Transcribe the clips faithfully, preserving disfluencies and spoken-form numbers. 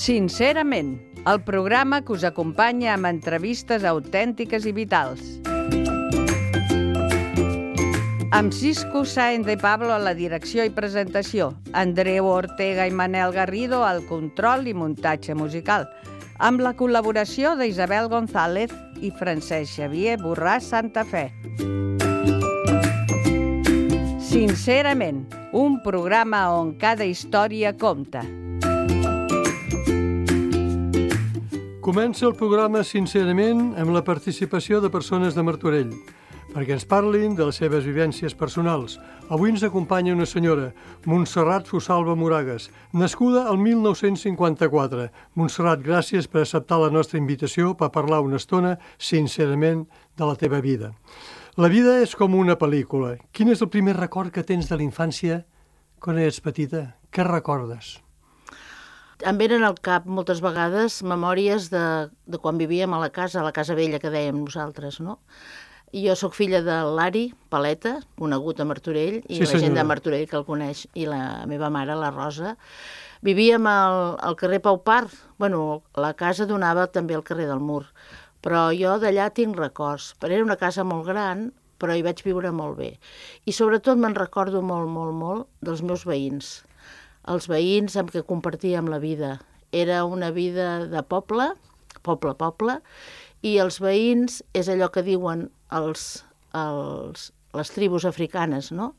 Sincerament, el programa que us acompanya amb entrevistes autèntiques i vitals. Amb Cisco Sáenz de Pablo a la direcció i presentació, Andreu Ortega i Manel Garrido al control i muntatge musical, amb la col·laboració d'Isabel González i Francesc Xavier Borràs Santa Fe. Sincerament, un programa on cada història compta. Comença el programa Sincerament amb la participació de persones de Martorell, perquè ens parlin de les seves vivències personals. Avui ens acompanya una senyora, Montserrat Fosalva Moragas, nascuda el mil nou-cents cinquanta-quatre. Montserrat, gràcies per acceptar la nostra invitació per parlar una estona, sincerament, de la teva vida. La vida és com una pel·lícula. Quin és el primer record que tens de la infància quan eres petita? Què recordes? Em venen al cap moltes vegades memòries de, de quan vivíem a la casa, a la casa vella que dèiem nosaltres, no? Jo sóc filla de l'Ari Paleta, conegut a Martorell, i sí, la gent de Martorell que el coneix, i la meva mare, la Rosa. Vivíem al, al carrer Pau Part. Bueno, la casa donava també al carrer del Mur, però jo d'allà tinc records. Però era una casa molt gran, però hi vaig viure molt bé. I sobretot me'n recordo molt, molt, molt dels meus veïns. Els veïns amb què compartíem la vida. Era una vida de poble, poble, poble, i els veïns és allò que diuen els, els, les tribus africanes, no?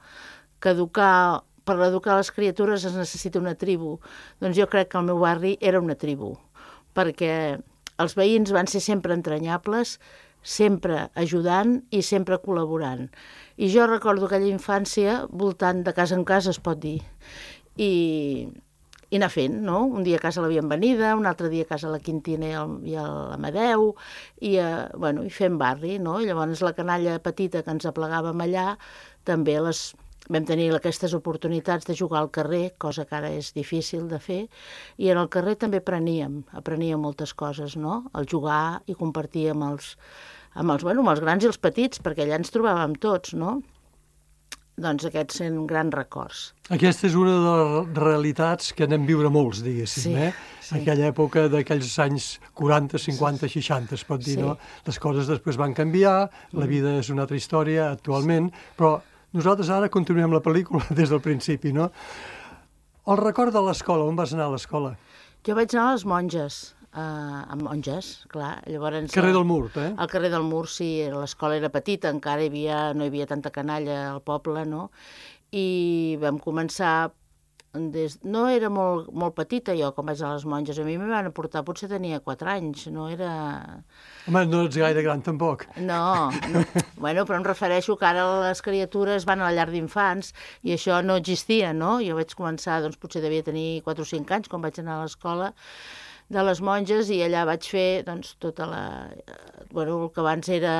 Que educar, per educar les criatures es necessita una tribu. Doncs jo crec que el meu barri era una tribu, perquè els veïns van ser sempre entranyables, sempre ajudant i sempre col·laborant. I jo recordo aquella infància voltant de casa en casa, es pot dir, i, i anar fent, no? Un dia a casa la Bienvenida, un altre dia a casa la Quintina i, el, i l'Amadeu, i, eh, bueno, i fent barri, no? I llavors la canalla petita que ens aplegàvem allà, també les, vam tenir aquestes oportunitats de jugar al carrer, cosa que ara és difícil de fer, i en el carrer també apreníem, apreníem moltes coses, no? El jugar i compartir amb els, amb els, bueno, amb els grans i els petits, perquè allà ens trobàvem tots, no? Doncs aquests són grans records. Aquesta és una de les realitats que anem viure molts, diguéssim, sí, eh? Sí. Aquella època d'aquells anys quaranta, cinquanta, seixanta, es pot dir, sí. No? Les coses després van canviar, la vida és una altra història actualment, però nosaltres ara continuem la pel·lícula des del principi, no? El record de l'escola, on vas anar a l'escola? Jo vaig anar a les monges, Uh, amb monges, clar. Llavors, carrer del Mur, eh? Al carrer del Mur, sí, l'escola era petita, encara hi havia, no hi havia tanta canalla al poble, no? I vam començar, des, no era molt, molt petita jo quan vaig a les monges, a mi m'hi van aportar, potser tenia quatre anys, no era... Home, no ets gaire gran tampoc. No, no. Bueno, però em refereixo que ara les criatures van a la llar d'infants i això no existia, no? Jo vaig començar, doncs potser devia tenir quatre o cinc anys quan vaig anar a l'escola de les monges i allà vaig fer doncs, tota la... Bueno, el que abans era...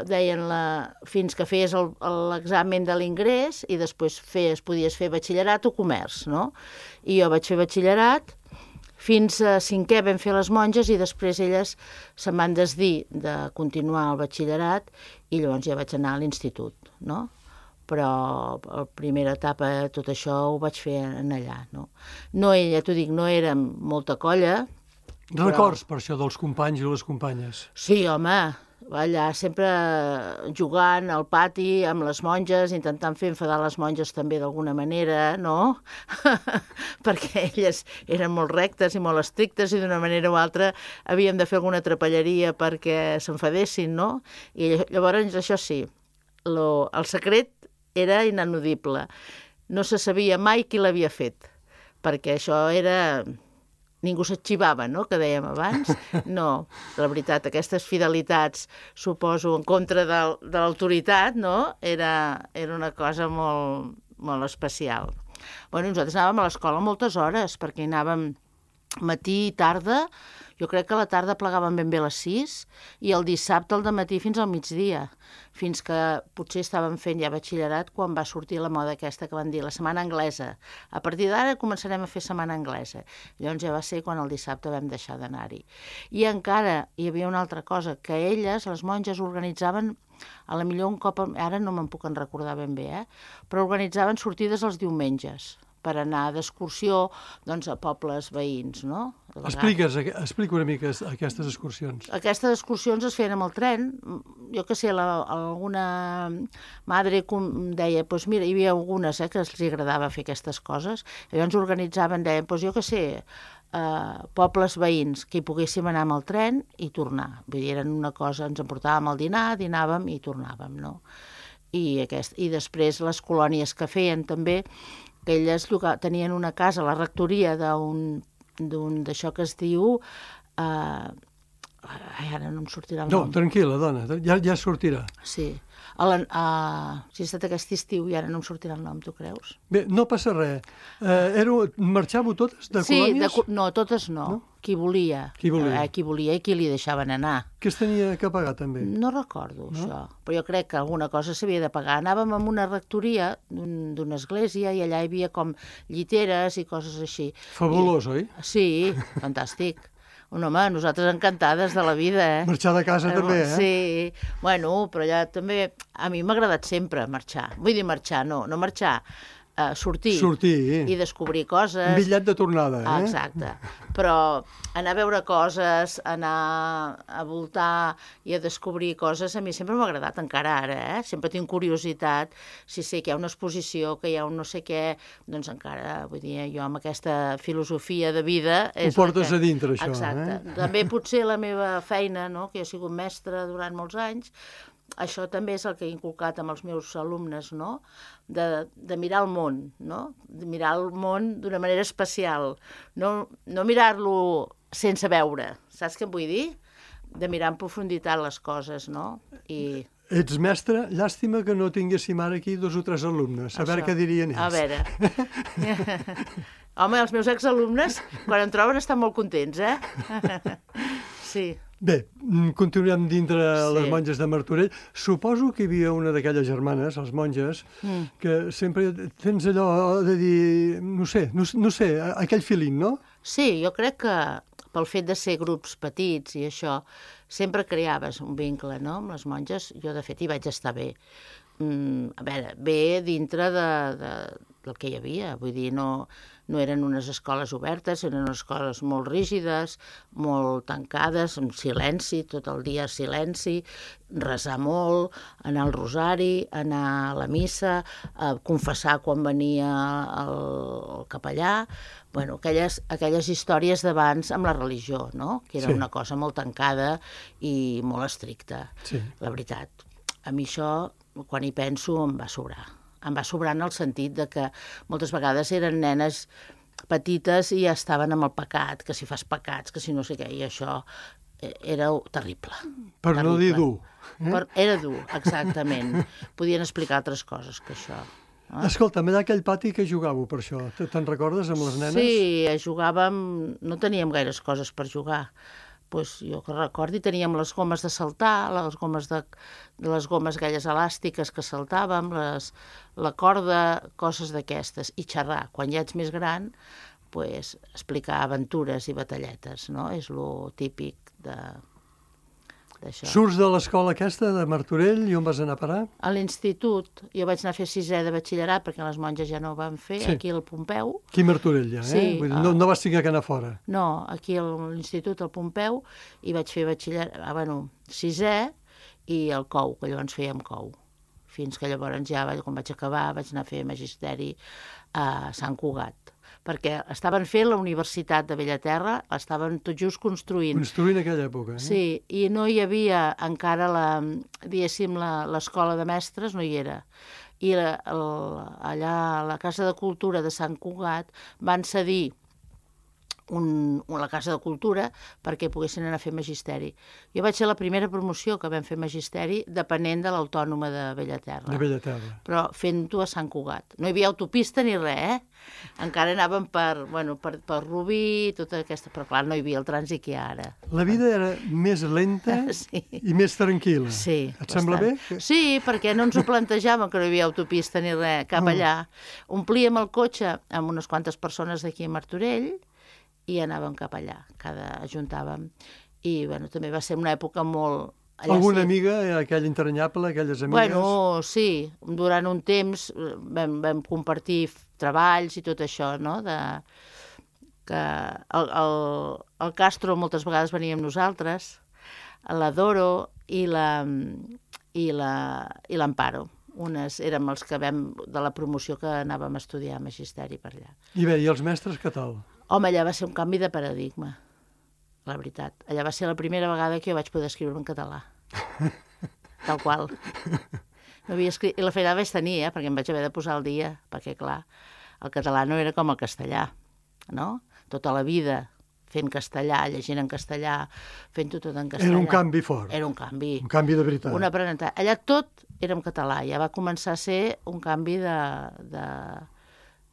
deien la... fins que feies l'examen de l'ingrés i després feies, podies fer batxillerat o comerç, no? I jo vaig fer batxillerat, fins a cinquè vam fer les monges i després elles se'n van desdir de continuar el batxillerat i llavors ja vaig anar a l'institut, no? Però la primera etapa, tot això ho vaig fer en allà, no? No, ja t'ho dic, no érem molta colla. Però... Records per això dels companys i les companyes? Sí, home, allà sempre jugant al pati amb les monges, intentant fer enfadar les monges també d'alguna manera, no? Perquè elles eren molt rectes i molt estrictes i d'una manera o altra havíem de fer alguna trapelleria perquè s'enfadessin, no? I llavors això sí, lo, el secret era inanudible. No se sabia mai qui l'havia fet, perquè això era... Ningú s'arxivava, no?, que dèiem abans. No, la veritat, aquestes fidelitats, suposo, en contra de, de l'autoritat, no?, era, era una cosa molt, molt especial. Bueno, nosaltres anàvem a l'escola moltes hores, perquè anàvem matí i tarda. Jo crec que a la tarda plegàvem ben bé a les sis i el dissabte al dematí fins al migdia, fins que potser estàvem fent ja batxillerat quan va sortir la moda aquesta que van dir, la setmana anglesa. A partir d'ara començarem a fer setmana anglesa. Llavors ja va ser quan el dissabte vam deixar d'anar-hi. I encara hi havia una altra cosa, que elles, les monges, organitzaven, a la millor un cop, ara no me'n puc en recordar ben bé, eh? Però organitzaven sortides els diumenges, per anar d'excursió doncs, a pobles veïns, no? Expliques, explica una mica aquestes excursions. Aquestes excursions es feien amb el tren. Jo que sé, la, alguna madre deia, doncs mira, hi havia algunes eh, que els agradava fer aquestes coses, i llavors organitzaven, deien, doncs jo que sé, Uh, pobles veïns que hi poguéssim anar amb el tren i tornar. Vull dir, eren una cosa, ens emportàvem al dinar, dinàvem i tornàvem, no? I, aquest, i després les colònies que feien també, que elles tenien una casa a la rectoria d'un d'això que es diu... Uh, ai, ara no em sortirà el no, nom. No, tranquil·la, dona, ja, ja sortirà. Sí. A la, a, si ha estat aquest estiu i ara no em sortirà el nom, tu creus? Bé, no passa res. Eh, era, marxàveu totes de sí, colònies? Sí, no, totes no. no? Qui volia. Qui volia. Eh, qui volia i qui li deixaven anar. Què es tenia que pagar, també? No recordo, no? Això. Però jo crec que alguna cosa s'havia de pagar. Anàvem a una rectoria d'una església i allà hi havia com lliteres i coses així. Fabulós, I, oi? Sí, fantàstic. Un home, nosaltres encantades de la vida, eh? Marxar de casa eh, també, eh? Sí, bueno, però ja també... A mi m'ha agradat sempre marxar. Vull dir marxar, no, no marxar, uh, sortir. Sortir. I descobrir coses. Un bitllet de tornada, eh? Ah, exacte. Però anar a veure coses, anar a voltar i a descobrir coses, a mi sempre m'ha agradat, encara ara, eh? Sempre tinc curiositat. Si sé que hi ha una exposició, que hi ha un no sé què, doncs encara, vull dir, jo amb aquesta filosofia de vida... Ho portes que... a dintre, això, exacte. eh? També potser la meva feina, no?, que jo he sigut mestra durant molts anys, això també és el que he inculcat amb els meus alumnes, no?, de, de mirar el món, no?, de mirar el món d'una manera especial, no, no mirar-lo sense veure, saps què em vull dir? De mirar en profunditat les coses, no? I... Ets mestre, llàstima que no tinguéssim ara aquí dos o tres alumnes, a veure què dirien ells. A veure... Home, els meus exalumnes, quan em troben, estan molt contents, eh? Sí. Bé, continuem dintre sí. les monges de Martorell. Suposo que hi havia una d'aquelles germanes, les monges, mm. que sempre tens allò de dir, no sé, no, no sé, aquell feeling, no? Sí, jo crec que pel fet de ser grups petits i això, sempre creaves un vincle, no?, amb les monges. Jo, de fet, hi vaig estar bé. Mm, a veure, bé dintre de, de, del que hi havia, vull dir, no... No eren unes escoles obertes, eren unes escoles molt rígides, molt tancades, amb silenci, tot el dia silenci, resar molt, anar al rosari, anar a la missa, a confessar quan venia el, el capellà, bueno, aquelles, aquelles històries d'abans amb la religió, no?, que era sí. Una cosa molt tancada i molt estricta, sí. La veritat. A mi això, quan hi penso, em va sobrar. Em va sobrar en el sentit de que moltes vegades eren nenes petites i ja estaven amb el pecat, que si fas pecats, que si no sé què, i això era terrible. Per terrible. No dir dur. Eh? Per, era dur, exactament. Podien explicar altres coses que això. Eh? Escolta'm, allà aquell pati que jugàveu per això, te'n recordes amb les nenes? Sí, jugàvem, no teníem gaires coses per jugar. Pues jo que recordi, teníem les gomes de saltar, les gomes, de, les gomes aquelles elàstiques que saltàvem, les, la corda, coses d'aquestes, i xerrar. Quan ja ets més gran, pues, explicar aventures i batalletes, no? És lo típic de... d'això. Surts de l'escola aquesta, de Martorell, i on vas anar a parar? A l'institut. Jo vaig anar a fer sisè de batxillerat, perquè les monges ja no ho van fer, sí. Aquí al Pompeu. Aquí a Martorell, ja, eh? Sí, Vull dir, no, no vas tinguer que anar fora. No, aquí a l'institut, al Pompeu, i vaig fer batxillerat, ah, bueno, sisè, i el cou, que llavors fèiem cou. Fins que llavors ja, quan vaig acabar, vaig anar a fer magisteri a Sant Cugat, perquè estaven fent la Universitat de Bellaterra, l'estaven tot just construint. Construint en aquella època, eh? Sí, i no hi havia encara, la, diguéssim, l'escola de mestres, no hi era. I la, el, allà a la Casa de Cultura de Sant Cugat van cedir un, la Casa de Cultura perquè poguessin anar a fer magisteri. Jo vaig ser la primera promoció que vam fer magisteri depenent de l'Autònoma de Bellaterra. De Bellaterra. Però fent-ho a Sant Cugat. No hi havia autopista ni res, eh? Encara anàvem per, bueno, per, per Rubí, tota aquesta... Però clar, no hi havia el trànsit que hi ha ara. La vida era més lenta sí. I més tranquil·la. Sí. Et bastant. Sembla bé? Sí, perquè no ens ho plantejàvem que no hi havia autopista ni res, cap oh. allà. Omplíem el cotxe amb unes quantes persones d'aquí a Martorell i anàvem cap allà, cada ajuntàvem. I bueno, també va ser una època molt Allà Alguna sí. amiga, aquella entranyable, aquelles amigues? Bueno, sí, durant un temps vam, vam compartir treballs i tot això, no? De, que el, el, el Castro moltes vegades venia amb nosaltres, la Doro i la i la i l'Amparo. Unes érem els que vam de la promoció que anàvem a estudiar magisteri per allà. I bé, i els mestres què tal? Home, allà va ser un canvi de paradigma, la veritat. Allà va ser la primera vegada que jo vaig poder escriure en català. Tal qual. No havia escrit... I la feina vaig tenir, eh? Perquè em vaig haver de posar al dia, perquè, clar, el català no era com el castellà, no? Tota la vida fent castellà, llegint en castellà, fent-ho tot en castellà. Era un canvi fort. Era un canvi. Un canvi de veritat. Un aprenentatge. Allà tot era en català, ja va començar a ser un canvi de... de...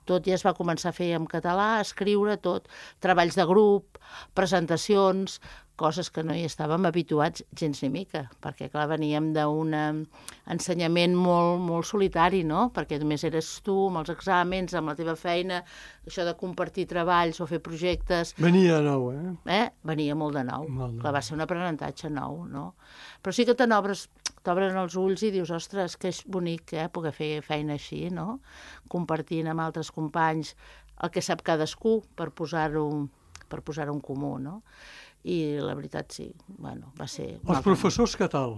Tot ja es va començar a fer en català, a escriure tot, treballs de grup, presentacions, coses que no hi estàvem habituats gens ni mica, perquè, clar, veníem d'un ensenyament molt, molt solitari, no? Perquè només eres tu, amb els exàmens, amb la teva feina, això de compartir treballs o fer projectes... Venia nou, eh? Eh? Venia molt de nou. Molt de Clar, va ser un aprenentatge nou, no? Però sí que te n'obres, t'obren els ulls i dius, ostres, que és bonic, eh, poder fer feina així, no? Compartint amb altres companys el que sap cadascú per posar-ho per posar-ho en comú, no? I la veritat, sí, bueno, va ser... Els professors què tal?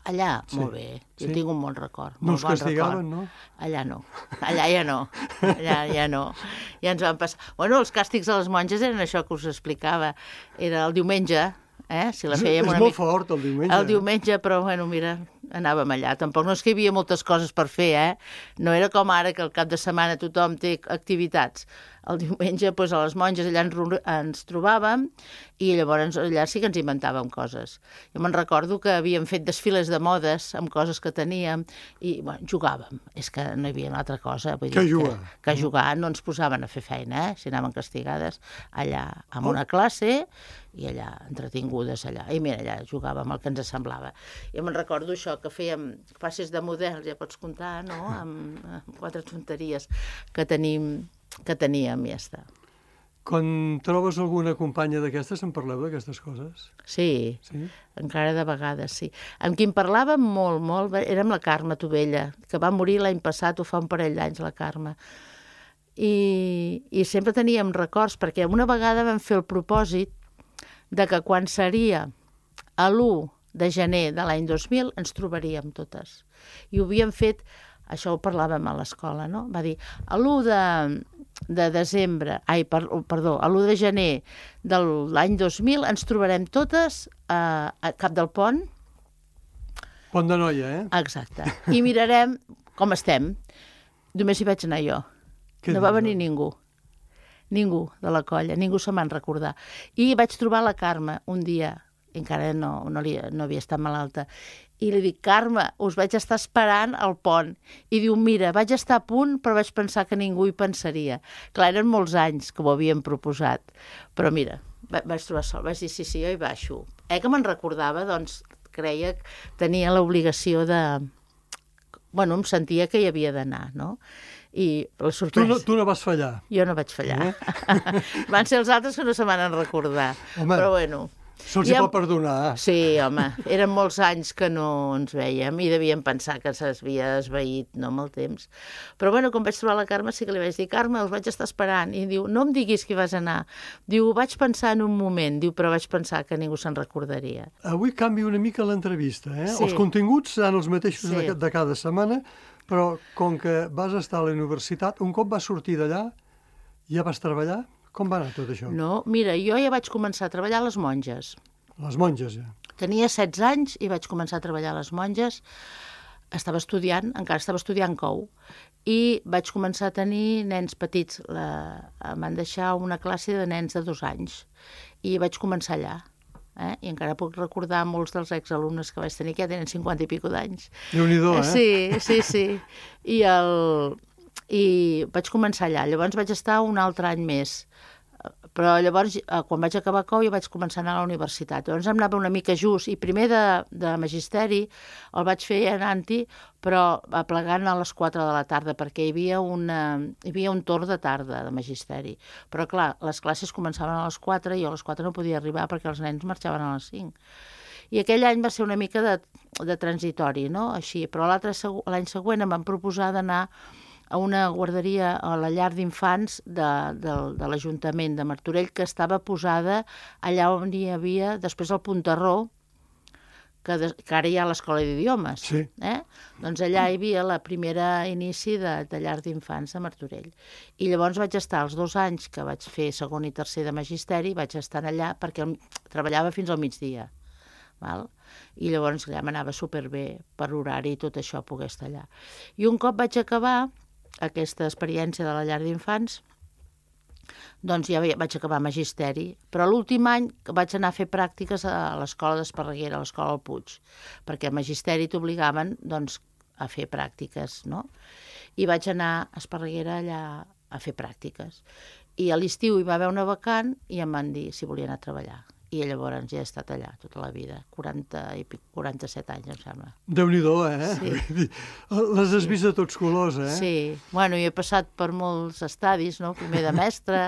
Allà, Sí. molt bé. Jo Sí? tinc un bon record. No molt us bon castigaven, record. no? Allà no. Allà ja no. Allà ja no. Ja ens van passar... Bueno, els càstigs a les monges eren això que us explicava. Era el diumenge, eh? Si la És, fèiem és una molt mica... fort, el diumenge. El diumenge, però, bueno, mira, anàvem allà. Tampoc no és que hi havia moltes coses per fer, eh? No era com ara, que al cap de setmana tothom té activitats. El diumenge, doncs, a les monges allà ens, ens trobàvem i llavors allà sí que ens inventàvem coses. Jo me'n recordo que havíem fet desfiles de modes amb coses que teníem i, bueno, jugàvem. És que no hi havia una altra cosa. Vull Que dir jugar. Que, que jugar no ens posaven a fer feina, eh? Si anaven castigades allà amb una classe i allà entretingudes allà. I mira, allà jugàvem el que ens semblava. Jo me'n recordo això, que fèiem classes de models, ja pots comptar, no?, amb, amb quatre tonteries que tenim que teníem i ja està. Quan trobes alguna companya d'aquestes, en parleu d'aquestes coses? Sí, Sí? encara de vegades, sí. Amb qui en parlàvem molt, molt, era amb la Carme Tovella, que va morir l'any passat, o fa un parell d'anys, la Carme. I, I sempre teníem records, perquè una vegada vam fer el propòsit de que quan seria a l'u de gener de l'any dos mil ens trobaríem totes. I ho havíem fet, això ho parlàvem a l'escola, no? Va dir, a l'u de, de desembre, ai, per, perdó, a l'u de gener de l'any dos mil ens trobarem totes a, a Cap del Pont. Pont de Noia, eh? Exacte. I mirarem com estem. Només hi vaig anar jo. Què No va dius, venir doncs? ningú. Ningú de la colla, ningú se me'n recordar. I vaig trobar la Carme un dia, encara no, no, li, no havia estat malalta, i li dic, Carme, us vaig estar esperant al pont. I diu, mira, vaig estar a punt, però vaig pensar que ningú hi pensaria. Clar, eren molts anys que ho havíem proposat. Però mira, va, vaig trobar sol, vaig dir, sí, sí, jo hi baixo. Eh, que me'n recordava, doncs, creia que tenia l'obligació de... Bueno, em sentia que hi havia d'anar, no? I la Tu sorpresa... no, tu no vas fallar. Jo no vaig fallar. Eh? Van ser els altres que no se m'han recordar. Home, Però bueno... se'ls I hi amb- pot perdonar. Sí, home, eren molts anys que no ens vèiem i devíem pensar que s'havia esvaït, no, amb el temps. Però bueno, quan vaig trobar la Carme sí que li vaig dir, Carme, us vaig estar esperant. I diu, no em diguis que hi vas anar. Diu, ho vaig pensar en un moment, diu, però vaig pensar que ningú se'n recordaria. Avui canvia una mica l'entrevista, eh? Sí. Els continguts seran els mateixos Sí. de, de cada setmana, però com que vas estar a la universitat, un cop vas sortir d'allà, ja vas treballar? Com va anar tot això? No, mira, jo ja vaig començar a treballar a les monges. Les monges, ja. Tenia setze anys i vaig començar a treballar a les monges. Estava estudiant, encara estava estudiant cou, i vaig començar a tenir nens petits. La... Em van deixar una classe de nens de dos anys i vaig començar allà. Eh? I encara puc recordar molts dels exalumnes que vaig tenir, que ja tenen cinquanta i pico d'anys. Déu-n'hi-do, eh? Sí, sí, sí. I, el... I vaig començar allà. Llavors vaig estar un altre any més. Però llavors, quan vaig acabar cou, jo vaig començar a anar a la universitat. Llavors em anava una mica just, i primer de, de magisteri el vaig fer anant-hi, però aplegant a les quatre de la tarda, perquè hi havia, una, hi havia un torn de tarda de magisteri. Però clar, les classes començaven a les quatre i jo a les quatre no podia arribar perquè els nens marxaven a les cinc. I aquell any va ser una mica de, de transitori, no? Així, però l'altre segu- l'any següent em van proposar d'anar a una guarderia, a la llar d'infants de, de, de l'Ajuntament de Martorell, que estava posada allà on hi havia, després el Puntarró, que, de, que ara hi ha l'Escola d'Idiomes. Sí. Eh? Doncs allà hi havia la primera inici de, de llar d'infants de Martorell. I llavors vaig estar els dos anys que vaig fer segon i tercer de magisteri, vaig estar allà perquè el, treballava fins al migdia. Val? I llavors allà m'anava superbé per horari i tot això poder estar allà. I un cop vaig acabar aquesta experiència de la llar d'infants, doncs ja vaig acabar magisteri, però l'últim any vaig anar a fer pràctiques a l'escola d'Esparreguera, a l'escola del Puig, perquè a magisteri t'obligaven doncs, a fer pràctiques, no? I vaig anar a Esparreguera allà a fer pràctiques. I a l'estiu hi va haver una vacant i em van dir si volia anar a treballar. I llavors ja he estat allà tota la vida, quaranta i quaranta-set anys, em sembla. Déu-n'hi-do, eh? Sí. Les has vist de tots colors, eh? Sí, bueno, jo he passat per molts estadis, no? Primer de mestre,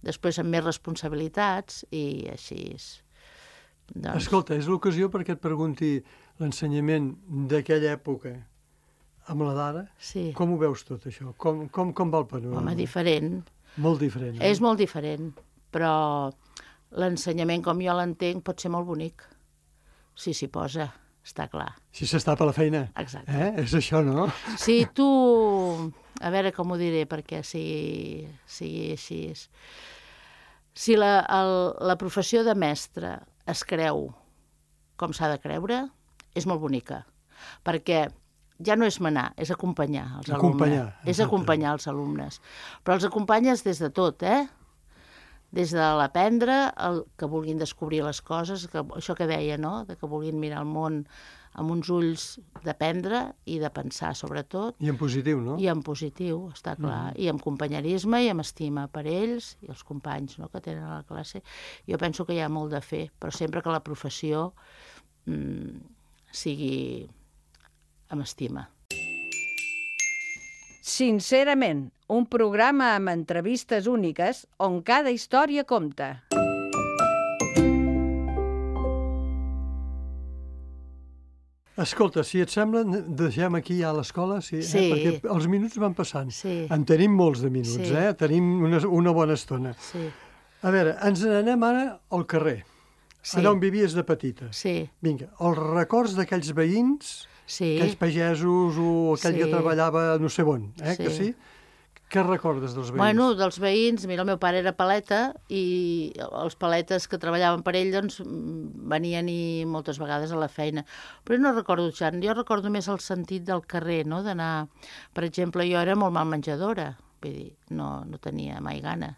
després amb més responsabilitats i així. Doncs... Escolta, és l'ocasió perquè et pregunti l'ensenyament d'aquella època amb la d'ara. Sí. Com ho veus tot això? Com, com, com va el panorama? Home, diferent. Molt diferent. Eh? És molt diferent, però l'ensenyament com jo l'entenc pot ser molt bonic. Si s'hi posa, està clar. Si s'està per la feina. Exacte. Eh? És això, no? Si tu... A veure com ho diré perquè sigui, sigui així. Si la, el, la professió de mestre es creu com s'ha de creure, és molt bonica. Perquè ja no és manar, és acompanyar els acompanyar, alumnes. És acompanyar els alumnes. Però els acompanyes des de tot, eh? Des de l'aprendre, el que vulguin descobrir les coses, que, això que deia, no? De que vulguin mirar el món amb uns ulls d'aprendre i de pensar, sobretot. I en positiu, no? I en positiu, està clar. Mm. I amb companyerisme i amb estima per ells i els companys, no?, que tenen a la classe. Jo penso que hi ha molt de fer, però sempre que la professió mm, sigui amb estima. Sincerament, un programa amb entrevistes úniques on cada història compta. Escolta, si et sembla, deixem aquí ja l'escola, sí, Sí. Eh? Perquè els minuts van passant. Sí. En tenim molts de minuts, Sí. eh? Tenim una, una bona estona. Sí, A veure, ens n'anem ara al carrer, Sí. allà on vivies de petita. sí, Vinga, els records d'aquells veïns, sí. aquells pagesos o aquell Sí. que treballava no sé on, eh? Sí. Que sí? Què recordes dels veïns? Bueno, dels veïns, mira, el meu pare era paleta i els paletes que treballaven per ell doncs, venien i moltes vegades a la feina. Però no recordo tant, jo recordo més el sentit del carrer, no?, d'anar... Per exemple, jo era molt mal menjadora, vull dir, no, no tenia mai gana.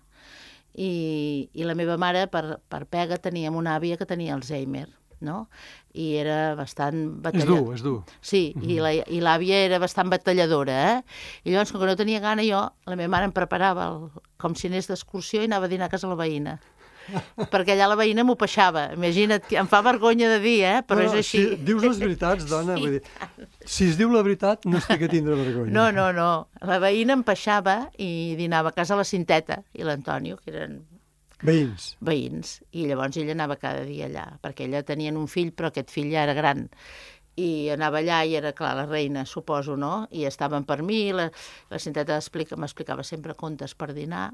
I, i la meva mare, per, per pega, teníem una àvia que tenia Alzheimer, no? I era bastant És batalladora. dur, és dur. Sí, mm -hmm. i, la, i l'àvia era bastant batalladora, eh? I llavors, com que no tenia gana, jo, la meva mare em preparava el, com si anés d'excursió i anava a dinar a casa la veïna. Perquè allà la veïna m'ho peixava. Imagina't, que em fa vergonya de dir, eh? Però no, és així. Si dius les veritats, dona, sí. Vull dir, si es diu la veritat, no estic a tindre vergonya. No, no, no. La veïna em peixava i dinava a casa la Cinteta i l'Antonio, que eren Veïns. veïns, i llavors ella anava cada dia allà, perquè ella tenien un fill, però aquest fill ja era gran, i anava allà i era, clar, la reina, suposo, no? I estaven per mi, la, la Cinteta m'explicava sempre contes per dinar,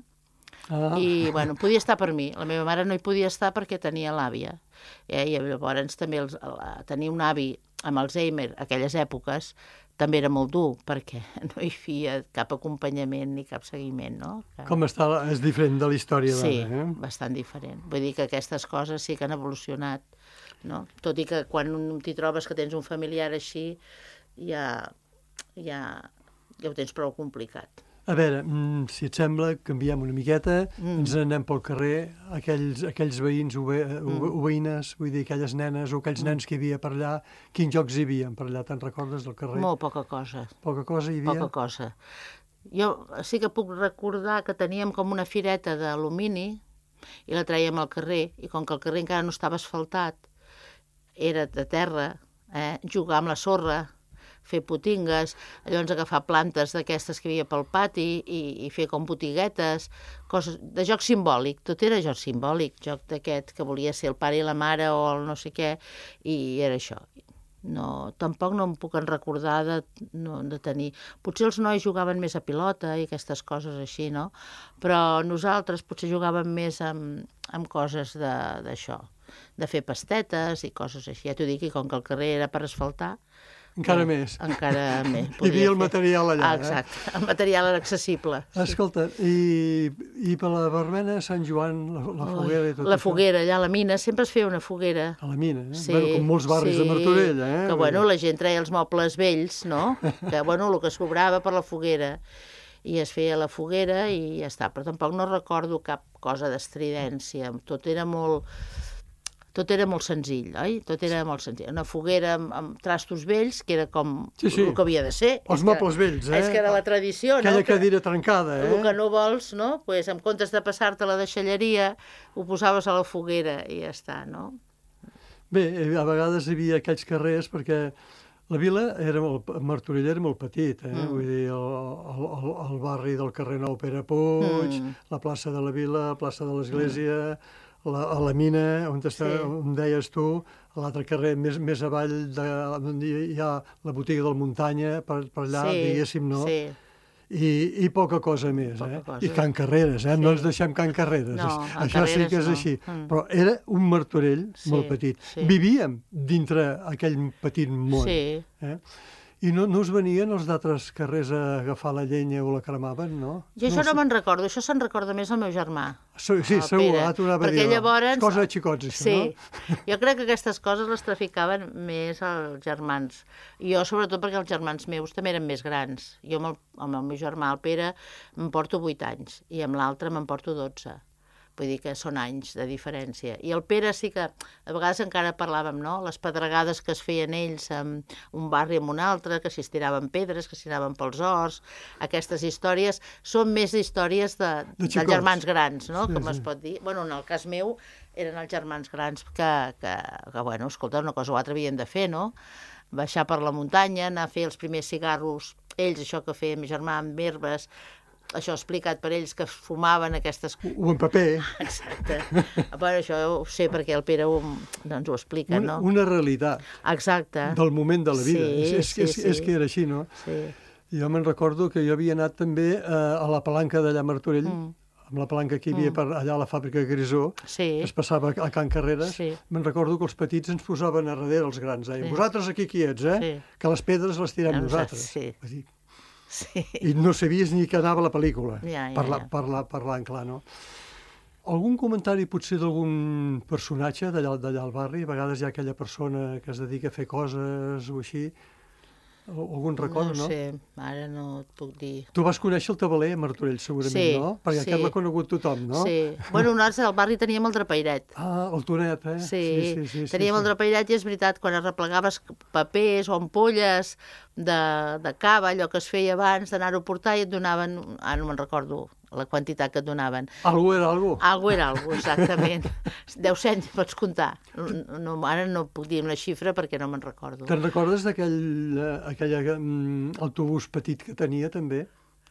Ah. i, bueno, podia estar per mi. La meva mare no hi podia estar perquè tenia l'àvia. Eh? I llavors també els, la, tenir un avi amb Alzheimer, aquelles èpoques, també era molt dur, perquè no hi havia cap acompanyament ni cap seguiment, no? Que... Com està, és diferent de la història Sí, d'ara, eh? bastant diferent. Vull dir que aquestes coses sí que han evolucionat, no? Tot i que quan t'hi trobes que tens un familiar així, ja, ja, ja ho tens prou complicat. A veure, si et sembla, canviem una miqueta, Mm. ens n'anem pel carrer, aquells, aquells veïns o, ve, o, Mm. o veïnes, vull dir, aquelles nenes o aquells nens que hi havia per allà, quins jocs hi havia per allà, te'n recordes del carrer? Molt poca cosa. Poca cosa hi havia? Poca cosa. Jo sí que puc recordar que teníem com una fireta d'alumini i la traiem al carrer, i com que el carrer encara no estava asfaltat, era de terra, eh? Jugar amb la sorra, fer potingues, llavors agafar plantes d'aquestes que hi havia pel pati i, i fer com botiguetes, coses de joc simbòlic, tot era joc simbòlic, joc d'aquest que volia ser el pare i la mare o el no sé què, i era això. No, tampoc no em puc en recordar de, no, de tenir... Potser els nois jugaven més a pilota i aquestes coses així, no? Però nosaltres potser jugàvem més amb, amb coses d'això, de, de fer pastetes i coses així. Ja t'ho dic, i com que el carrer era per asfaltar... Encara eh, més. Encara més. Hi havia el material allà. Ah, exacte, eh? El material era accessible. Escolta, i, i per la Barbena, Sant Joan, la, la foguera i tot La això? foguera, allà a la mina, sempre es feia una foguera. A la mina, eh? Sí, bueno, com molts barris sí, de Martorell, eh? Que, bueno, la gent treia els mobles vells, no? Que, bueno, el que sobrava per la foguera. I es feia la foguera i ja està. Però tampoc no recordo cap cosa d'estridència. Tot era molt... Tot era molt senzill, oi? Tot era molt senzill. Una foguera amb, amb trastos vells, que era com sí, sí. el que havia de ser. Els mobles vells, eh? És que era la tradició, Aquella no? Aquella cadira trencada, eh? El que no vols, no? Pues, en comptes de passar-te la deixalleria, ho posaves a la foguera i ja està, no? Bé, a vegades hi havia aquells carrers, perquè la vila, era molt, Martorell era molt petit, eh? Mm. Vull dir, el, el, el, el barri del carrer Nou Pere Puig, mm. la plaça de la Vila, la plaça de l'Església... Mm. La, a la mina, on, està, sí. on deies tu, a l'altre carrer, més, més avall, de, on hi ha la botiga del Muntanya, per, per allà, sí, diguéssim, no? Sí. I, I poca cosa més, poca eh? Cosa. I Can Carreres, eh? Sí. No ens deixem Can Carreres. No, això Carreres sí que és no. així. Mm. Però era un Martorell sí, molt petit. Sí. Vivíem dintre aquell petit món. Sí. Eh? I no, no us venien els d'altres carrers a agafar la llenya o la cremaven, no? Jo això no, no me'n recordo, això se'n recorda més el meu germà. Sí, sí segur, ara t'ho anava a dir. Llavors... És cosa de xicots, això, sí. no? Jo crec que aquestes coses les traficaven més els germans. Jo, sobretot, perquè els germans meus també eren més grans. Jo amb el, amb el meu germà, el Pere, em porto vuit anys, i amb l'altre me'n porto dotze. Vull dir que són anys de diferència. I el Pere sí que, a vegades encara parlàvem, no?, les pedregades que es feien ells en un barri amb un altre, que s'hi estiraven pedres, que s'hi anaven pels horts, aquestes històries són més històries de, de dels germans grans, no?, sí, com sí. Es pot dir. Bueno, en el cas meu eren els germans grans que, que, que bueno, escolta, una cosa o altra havien de fer, no?, baixar per la muntanya, anar a fer els primers cigarros, ells, això que feia mi germà amb herbes, això explicat per ells que fumaven aquestes... O en paper. Exacte. Bueno, això ho sé perquè el Pere ho, doncs ho explica, una, no? Una realitat. Exacte. Del moment de la vida. Sí, és, és, sí, és, sí. és que era així, no? Sí. Jo me'n recordo que jo havia anat també a, a la palanca d'allà a Martorell, mm. amb la palanca que hi havia mm. per allà a la fàbrica de Grisó, sí. que es passava a Can Carreres. Sí. Me'n recordo que els petits ens posaven a darrere els grans. Deien, sí. Vosaltres aquí quiets, eh? Sí. Que les pedres les tirem no, nosaltres. Sí. Vull dir, sí. I no sabies ni que anava la pel·lícula, ja, ja, parla, ja. parla, parlant clar, no? Algun comentari potser d'algun personatge d'allà al barri? A vegades hi ha aquella persona que es dedica a fer coses o així. Algun record, no? No sé, ara no et puc dir. Tu vas conèixer el tabaler a Martorell, segurament, sí, no? Perquè sí. aquest l'ha conegut tothom, no? Sí. Bueno, nosaltres al barri teníem el drapeiret. Ah, el Tonet, eh? Sí, sí, sí, sí teníem sí, el drapeiret i és veritat, quan arreplegaves papers o ampolles de, de cava, allò que es feia abans, d'anar-ho a portar i et donaven, ah, no me'n recordo la quantitat que et donaven. Algú era algú. Algú era algú, exactament. Deu cents, pots comptar. No, ara no puc dir una xifra perquè no me'n recordo. Te'n recordes d'aquell aquell um, autobús petit que tenia, també?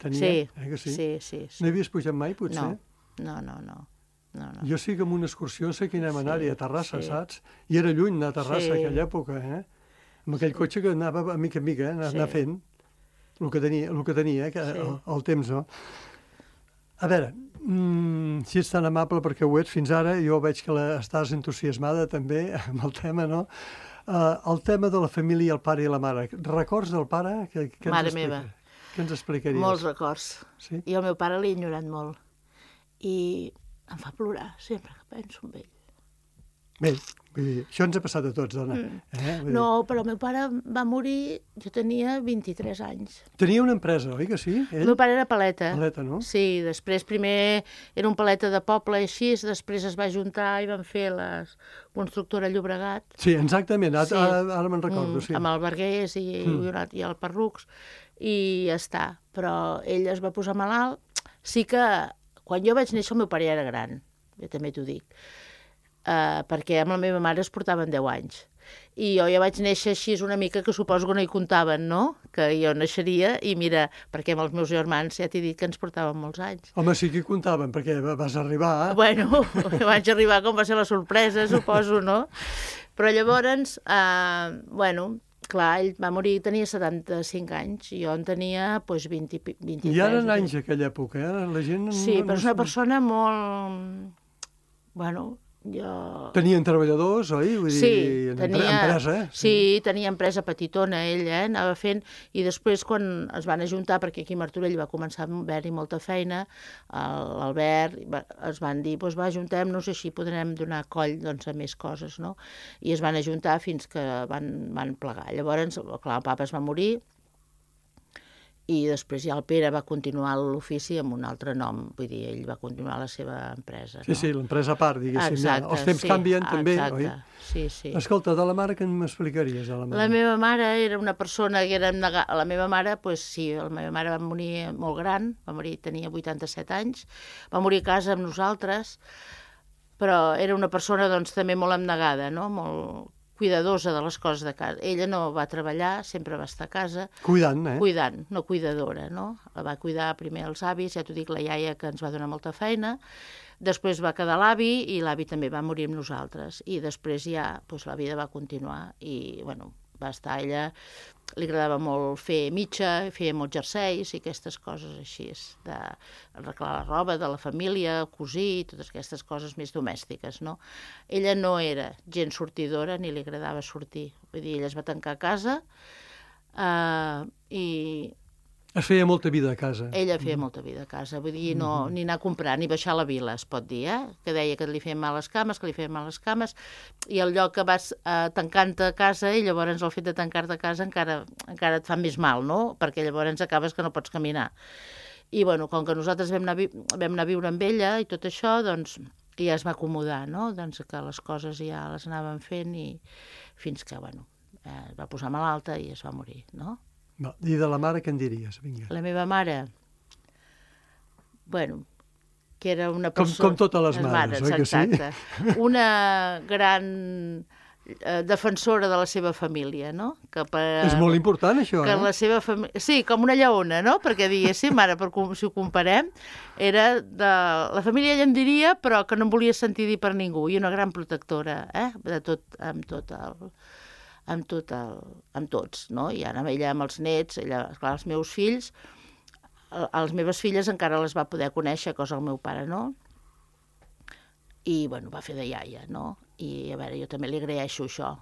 Tenia, sí, eh, que sí? sí, sí, sí. No hi havies pujat mai, potser? No, no, no, no. no, no. Jo sí que amb una excursió sé que anem a anar-hi a Terrassa, sí. Saps? I era lluny anar a Terrassa, sí. aquella època, eh? Amb aquell cotxe que anava a mica en mica, eh? anar, sí. anar fent el que tenia, el que tenia eh? que, sí. el, el temps, no? A veure, mm, si ets tan amable perquè ho ets fins ara, jo veig que la, estàs entusiasmada també amb el tema, no? Uh, el tema de la família, el pare i la mare. Records del pare? Que, que mare meva. Què ens explicaries? Molts records. Sí? I el meu pare l'he ignorat molt. I em fa plorar sempre que penso en ell. Bé, vull dir, això ens ha passat a tots, dona. Mm. Eh? No, però el meu pare va morir, jo tenia vint-i-tres anys. Tenia una empresa, oi que sí? Ell? El meu pare era paleta. Paleta, no? Sí, després primer era un paleta de poble i així, després es va juntar i van fer la constructora Llobregat. Sí, exactament, ara, sí. ara, ara me'n recordo, mm, sí. Amb el Vergués i, mm. i el Perrucs, i ja està. Però ell es va posar malalt. Sí que quan jo vaig néixer el meu pare ja era gran, jo també t'ho dic. Uh, perquè amb la meva mare es portaven deu anys. I jo ja vaig néixer així una mica, que suposo que no hi comptaven, no? Que jo naixeria i mira, perquè amb els meus germans ja t'he dit que ens portaven molts anys. Home, sí que hi comptaven, perquè vas arribar... Bueno, vaig arribar com va ser la sorpresa, suposo, no? Però llavors, eh, bueno, clar, ell va morir, tenia setanta-cinc anys, i jo en tenia doncs, vint, vint-i-tres. I eren anys aquella època, eh? La gent... Sí, no, però és una no... persona molt... Bueno, jo... Tenien treballadors, oi? Vull sí, dir, tenia, empresa, eh? Sí, tenia empresa petitona, ell, eh? Anava fent... I després, quan es van ajuntar, perquè aquí a Martorell va començar a haver-hi molta feina, l'Albert es van dir, doncs va, ajuntem-nos, així podrem donar coll doncs, a més coses, no? I es van ajuntar fins que van, van plegar. Llavors, clar, el papa es va morir, i després ja el Pere va continuar l'ofici amb un altre nom, vull dir, ell va continuar la seva empresa. No? Sí, sí, l'empresa a part, diguéssim. Exacte, ja. Els temps sí, canvien també, exacte, oi? Sí, sí. Escolta, de la mare què m'explicaries? De la, mare? La meva mare era una persona que era abnegada. La meva mare, doncs sí, la meva mare va morir molt gran, va morir, tenia vuitanta-set anys, va morir a casa amb nosaltres, però era una persona doncs també molt abnegada, no? Molt cuidadosa de les coses de casa. Ella no va treballar, sempre va estar a casa. Cuidant, eh? Cuidant, no cuidadora, no? La va cuidar primer els avis, ja t'ho dic, la iaia, que ens va donar molta feina. Després va quedar l'avi, i l'avi també va morir amb nosaltres. I després ja, doncs, la vida va continuar. I, bueno, va estar ella... Li agradava molt fer mitja, feia molts jerseis i aquestes coses així, d'arreglar la roba de la família, cosir, totes aquestes coses més domèstiques, no? Ella no era gens sortidora ni li agradava sortir. Vull dir, ella es va tancar a casa eh, i... Es feia molta vida a casa. Ella feia mm. molta vida a casa, vull dir, no, mm-hmm. ni anar a comprar, ni baixar a la vila, es pot dir, eh? Que deia que li feien mal les cames, que li feien mal les cames, i el lloc que vas eh, tancant-te a casa, i llavors el fet de tancar-te a casa encara, encara et fa més mal, no? Perquè llavors acabes que no pots caminar. I, bueno, com que nosaltres vam anar, vam anar a viure amb ella i tot això, doncs ja es va acomodar, no? Doncs que les coses ja les anàvem fent, i fins que, bueno, eh, es va posar malalta i es va morir, no? I de la mare què en diries? Vinga. La meva mare, bueno, que era una persona... Com, com totes les mares, oi que sí? Exacte. Una gran eh, defensora de la seva família, no? Que per, és molt important, això, que eh? La seva família... Sí, com una lleona, no? Perquè diguéssim, ara, per, si ho comparem, era de... La família ella en diria, però que no em volia sentir dir per ningú, i una gran protectora, eh? De tot, amb tot el... amb tot el, amb tots, no? I ara ella amb els nets, ella, esclar, els meus fills, les meves filles encara les va poder conèixer, cosa el meu pare no, i, bueno, va fer de iaia, no? I, a veure, jo també li agraeixo això,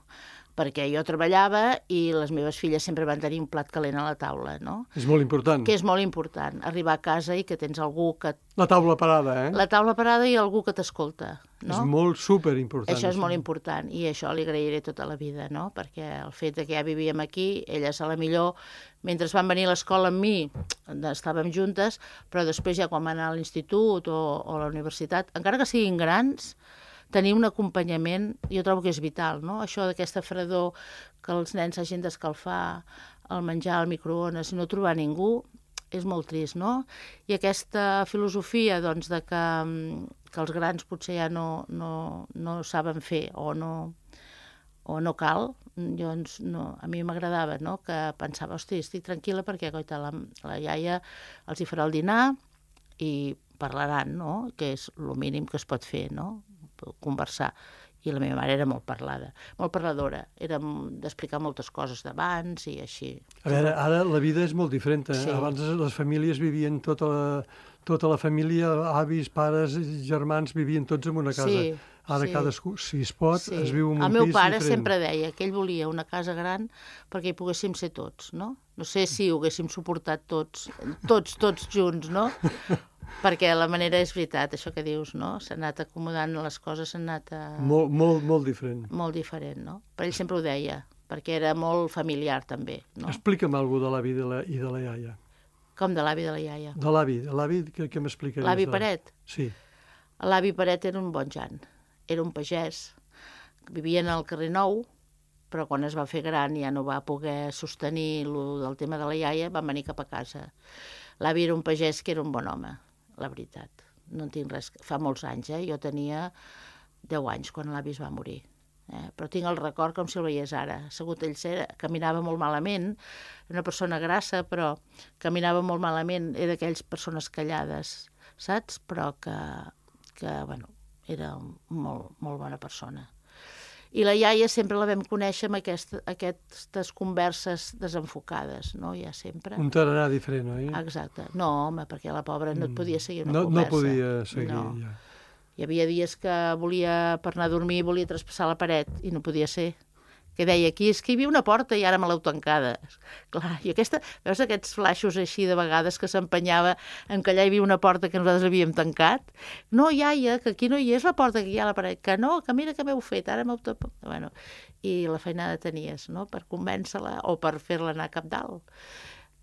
perquè jo treballava i les meves filles sempre van tenir un plat calent a la taula, no? És molt important. Que és molt important, arribar a casa i que tens algú que... La taula parada, eh? La taula parada i algú que t'escolta, no? És molt superimportant. Això és això. molt important, i això li agrairé tota la vida, no? Perquè el fet de que ja vivíem aquí, elles a la millor, mentre van venir a l'escola amb mi, estàvem juntes, però després ja quan van anar a l'institut o, o a la universitat, encara que siguin grans, tenir un acompanyament, jo trobo que és vital, no? Això d'aquesta fredor, que els nens hagin d'escalfar el menjar al microones i no trobar ningú, és molt trist, no? I aquesta filosofia, doncs, de que, que els grans potser ja no, no, no saben fer o no, o no cal, doncs, no, a mi m'agradava, no? Que pensava, hosti, estic tranquil·la perquè, coita, la, la iaia els hi farà el dinar i parlaran, no? Que és el mínim que es pot fer, no? Conversar. I la meva mare era molt parlada, molt parladora, era d'explicar moltes coses d'abans i així. A veure, ara la vida és molt diferent. Eh? Sí. Abans les famílies vivien tota la, tota la família, avis, pares, germans, vivien tots en una casa. Sí, ara sí. cadascú, si es pot, sí. es viu en un El meu pis pare diferent. sempre deia que ell volia una casa gran perquè hi poguéssim ser tots, no? No sé si ho haguéssim suportat tots, tots, tots junts, no? Perquè la manera és veritat, això que dius, no? S'ha anat acomodant les coses, s'han anat a... Molt, molt, molt diferent. Molt diferent, no? Però ell sempre ho deia, perquè era molt familiar, també, no? Explica'm alguna de l'avi i de la, i de la iaia. Com de l'avi de la iaia? De l'avi, de l'avi, què, què m'explicaries? L'avi de... Paret? Sí. L'avi Paret era un bon jan, era un pagès, vivien al carrer Nou, però quan es va fer gran ja no va poder sostenir lo del tema de la iaia, van venir cap a casa. L'avi era un pagès que era un bon home, la veritat. No en tinc res... Fa molts anys, eh? Jo tenia deu anys quan l'avi es va morir. Eh? Però tinc el record com si el veiés ara. Assegut ell era, caminava molt malament, una persona grassa, però caminava molt malament, era d'aquelles persones callades, saps? Però que, que bueno, era molt, molt bona persona. I la iaia sempre la vam conèixer amb aquest, aquestes converses desenfocades, no? Ja sempre. Un tarannà diferent, oi? Exacte. No, home, perquè la pobra no et podia seguir una no, conversa. No podia seguir, no. ja. Hi havia dies que volia, per anar a dormir, volia traspassar la paret i no podia ser. Que deia, aquí és que hi havia una porta i ara me l'heu tancada. Clar, i aquesta, veus aquests flaixos així de vegades que s'empenyava en que allà hi havia una porta que nosaltres havíem tancat? No, iaia, que aquí no hi és la porta, que hi ha la paret. Que no, que mira que m'heu fet, ara m'heu tapat. Bueno, i la feinada tenies, no?, per convèncer-la o per fer-la anar cap dalt.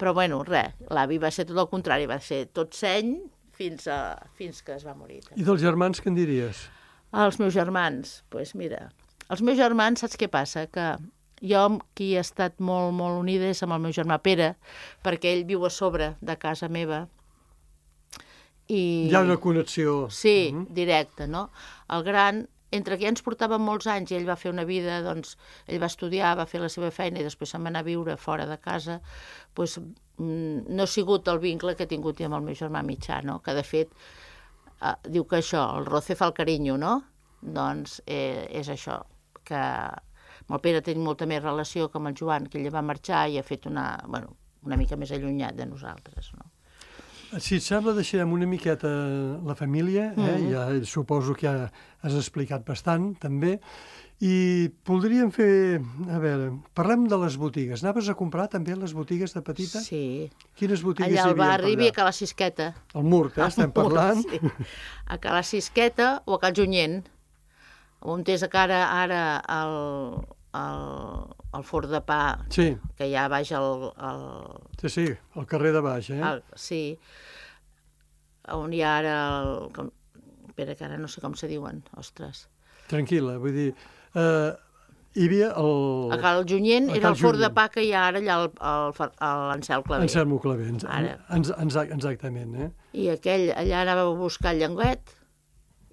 Però, bueno, res, l'avi va ser tot el contrari, va ser tot seny fins, a, fins que es va morir. I dels germans, què en diries? Els meus germans, doncs pues mira... Els meus germans, saps què passa? Que jo amb qui he estat molt, molt unida és amb el meu germà Pere, perquè ell viu a sobre de casa meva. I... Hi ha una connexió. Sí, uh-huh. directa, no? El gran, entre que ja ens portàvem molts anys i ell va fer una vida, doncs, ell va estudiar, va fer la seva feina i després se'n va anar a viure fora de casa, doncs no ha sigut el vincle que he tingut amb el meu germà mitjà, no? Que de fet, eh, diu que això, el roce fa el carinyo, no? Doncs eh, és això, que amb el Pere tenim molta més relació que amb el Joan, que ell va marxar i ha fet una, bueno, una mica més allunyat de nosaltres, no? Si et sembla, deixarem una miqueta la família, eh? Mm-hmm. Ja suposo que ja has explicat bastant, també, i voldríem fer, a veure, parlem de les botigues. Anaves a comprar també a les botigues de petita? Sí. Quines botigues allà hi havia al barri hi havia a Cala Sisqueta. Al Mur, eh? Estem parlant. Sí. A Cala Sisqueta o a Cal Junyent, on és ara, ara el, el, el forn de pa, sí. que hi ha baix el, el... Sí, sí, el carrer de baix, eh? El, sí, on hi ha ara el... Espera, que ara no sé com se diuen, ostres. Tranquil·la, vull dir... Eh, hi havia el... A Cal Junyent era el forn de pa que hi ha ara allà a l'Ancel Claver. Anselmo Claver, exactament, eh? I aquell, allà anava a buscar el llenguet,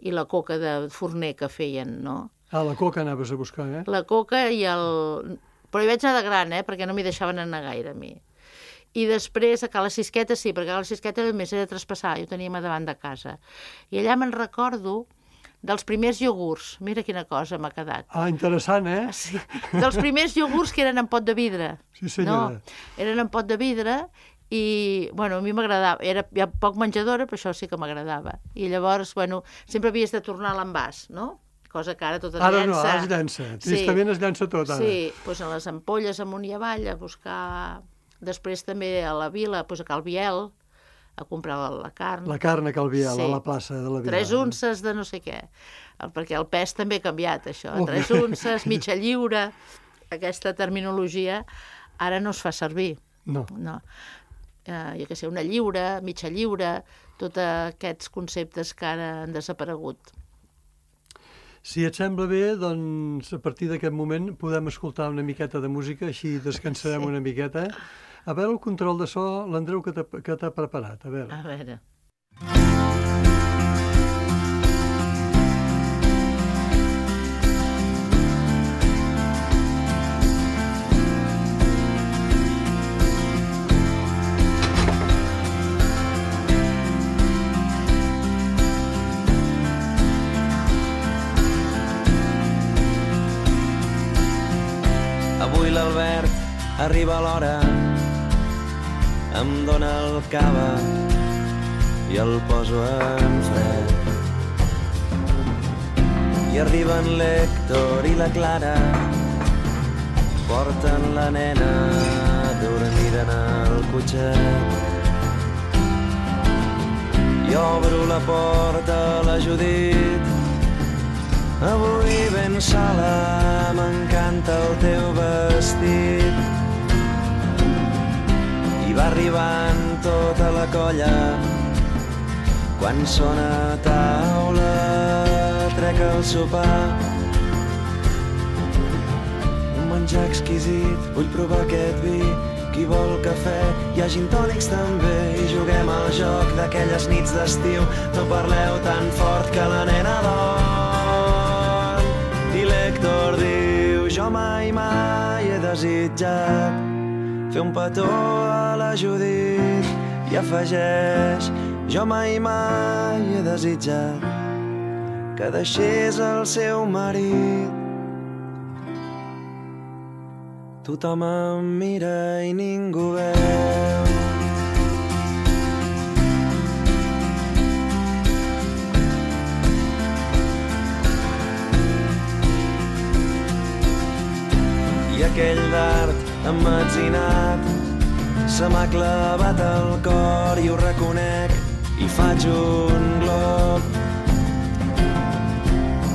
i la coca de forner que feien, no? Ah, la coca anaves a buscar, eh? La coca i el... Però hi vaig anar de gran, eh? Perquè no m'hi deixaven anar gaire, a mi. I després a Cala Sisqueta, sí, perquè a Cala Sisqueta només era traspassar, jo teníem a davant de casa. I allà me'n recordo dels primers iogurts. Mira quina cosa m'ha quedat. Ah, interessant, eh? Sí, dels primers iogurts que eren en pot de vidre. Sí, senyora. No, eren en pot de vidre i, bueno, a mi m'agradava. Era ja poc menjadora, però això sí que m'agradava. I llavors, bueno, sempre havies de tornar a l'envàs, no? Cosa que ara tot es ara llença. No, ara es llença. Tristament sí. Es llença tot, ara. Sí, doncs a les ampolles amunt i avall a buscar... Després també a la vila, doncs a Cal Biel, a comprar la carn. La carn a Cal Biel, sí. A la plaça de la vila. Tres unces de no sé què. Perquè el pes també ha canviat, això. Oh. Tres unces, mitja lliure, aquesta terminologia ara no es fa servir. No. No. Uh, jo què sé, una lliure, mitja lliure, tots aquests conceptes que ara han desaparegut. Si et sembla bé, doncs a partir d'aquest moment podem escoltar una miqueta de música, així descansarem sí. Una miqueta. A veure el control de so, l'Andreu, que t'ha preparat. A veure. A veure. Avui l'Albert arriba a l'hora, em dóna el cava i el poso en fred. I arriben l'Hèctor i la Clara, porten la nena dormida en el cotxet. I obro la porta a la Judit, avui ben sola, m'encanta el teu vestit. I va arribant tota la colla, quan sona a taula, trec el sopar. Un menjar exquisit, vull provar aquest vi, qui vol cafè, hi ha gin tònics també, i juguem al joc d'aquelles nits d'estiu, no parleu tan fort que la nena dorm. I l'Hèctor Víctor diu, jo mai, mai he desitjat fer un petó a la Judit i afegeix, jo mai, mai he desitjat que deixés el seu marit. Tothom em mira i ningú veu. I aquell dard emmetzinat se m'ha clavat al cor i ho reconec i faig un glob.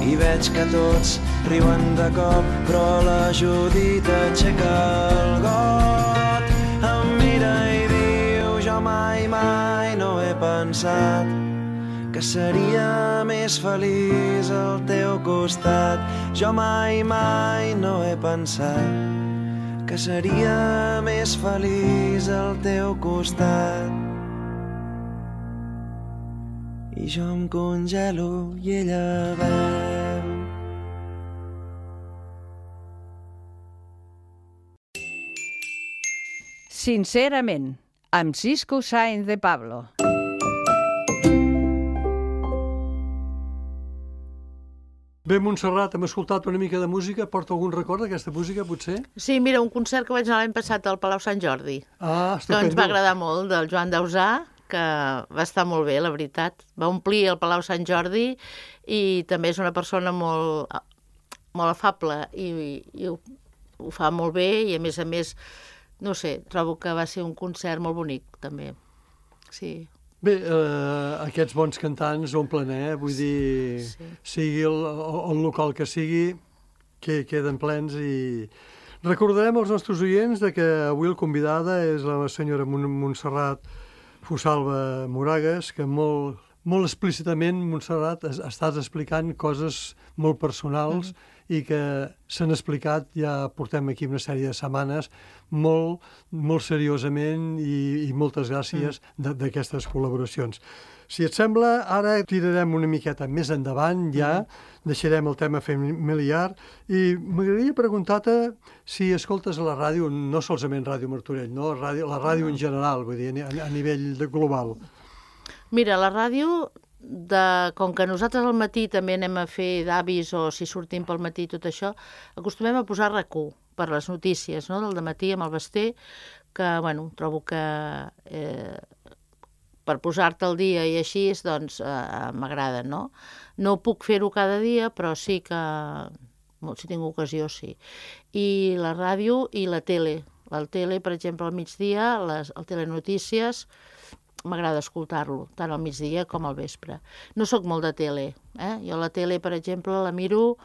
I veig que tots riuen de cop, però la Judit aixeca el got. Em mira i diu, jo mai, mai no he pensat que seria més feliç al teu costat. Jo mai, mai no he pensat que seria més feliç al teu costat. I jo em congelo i ella veu. Sincerament, amb Cisco Sáenz de Pablo. Bé, Montserrat, hem escoltat una mica de música. Porta algun record d'aquesta música, potser? Sí, mira, un concert que vaig anar l'any passat al Palau Sant Jordi. Ah, estupendo. Que ens va agradar molt, del Joan Dausà, que va estar molt bé, la veritat. Va omplir el Palau Sant Jordi i també és una persona molt, molt afable i, i ho, ho fa molt bé i, a més a més, no sé, trobo que va ser un concert molt bonic, també. Sí. Bé, eh, aquests bons cantants omplen, eh? Vull dir, sí. sigui el, el local que sigui, que queden plens i... Recordarem als nostres oients de que avui el convidada és la senyora Montserrat Fosalba Moragues, que molt, molt explícitament, Montserrat, estàs explicant coses molt personals mm-hmm. i que s'han explicat, ja portem aquí una sèrie de setmanes, molt, molt seriosament i, i moltes gràcies mm. d'aquestes col·laboracions. Si et sembla, ara tirarem una miqueta més endavant, ja, mm. deixarem el tema familiar i m'agradaria preguntar-te si escoltes a la ràdio, no solament Ràdio Martorell, no? Ràdio, la ràdio en general, vull dir, a, a nivell de global. Mira, la ràdio, de, com que nosaltres al matí també anem a fer d'avis o si sortim pel matí tot això, acostumem a posar RAC u per les notícies, no?, del dematí amb el Basté, que, bueno, trobo que... Eh, per posar-te al dia i així, doncs, eh, m'agrada, no? No puc fer-ho cada dia, però sí que, si tinc ocasió, sí. I la ràdio i la tele. La tele, per exemple, al migdia, les, el telenotícies, m'agrada escoltar-lo, tant al migdia com al vespre. No sóc molt de tele, eh? Jo la tele, per exemple, la miro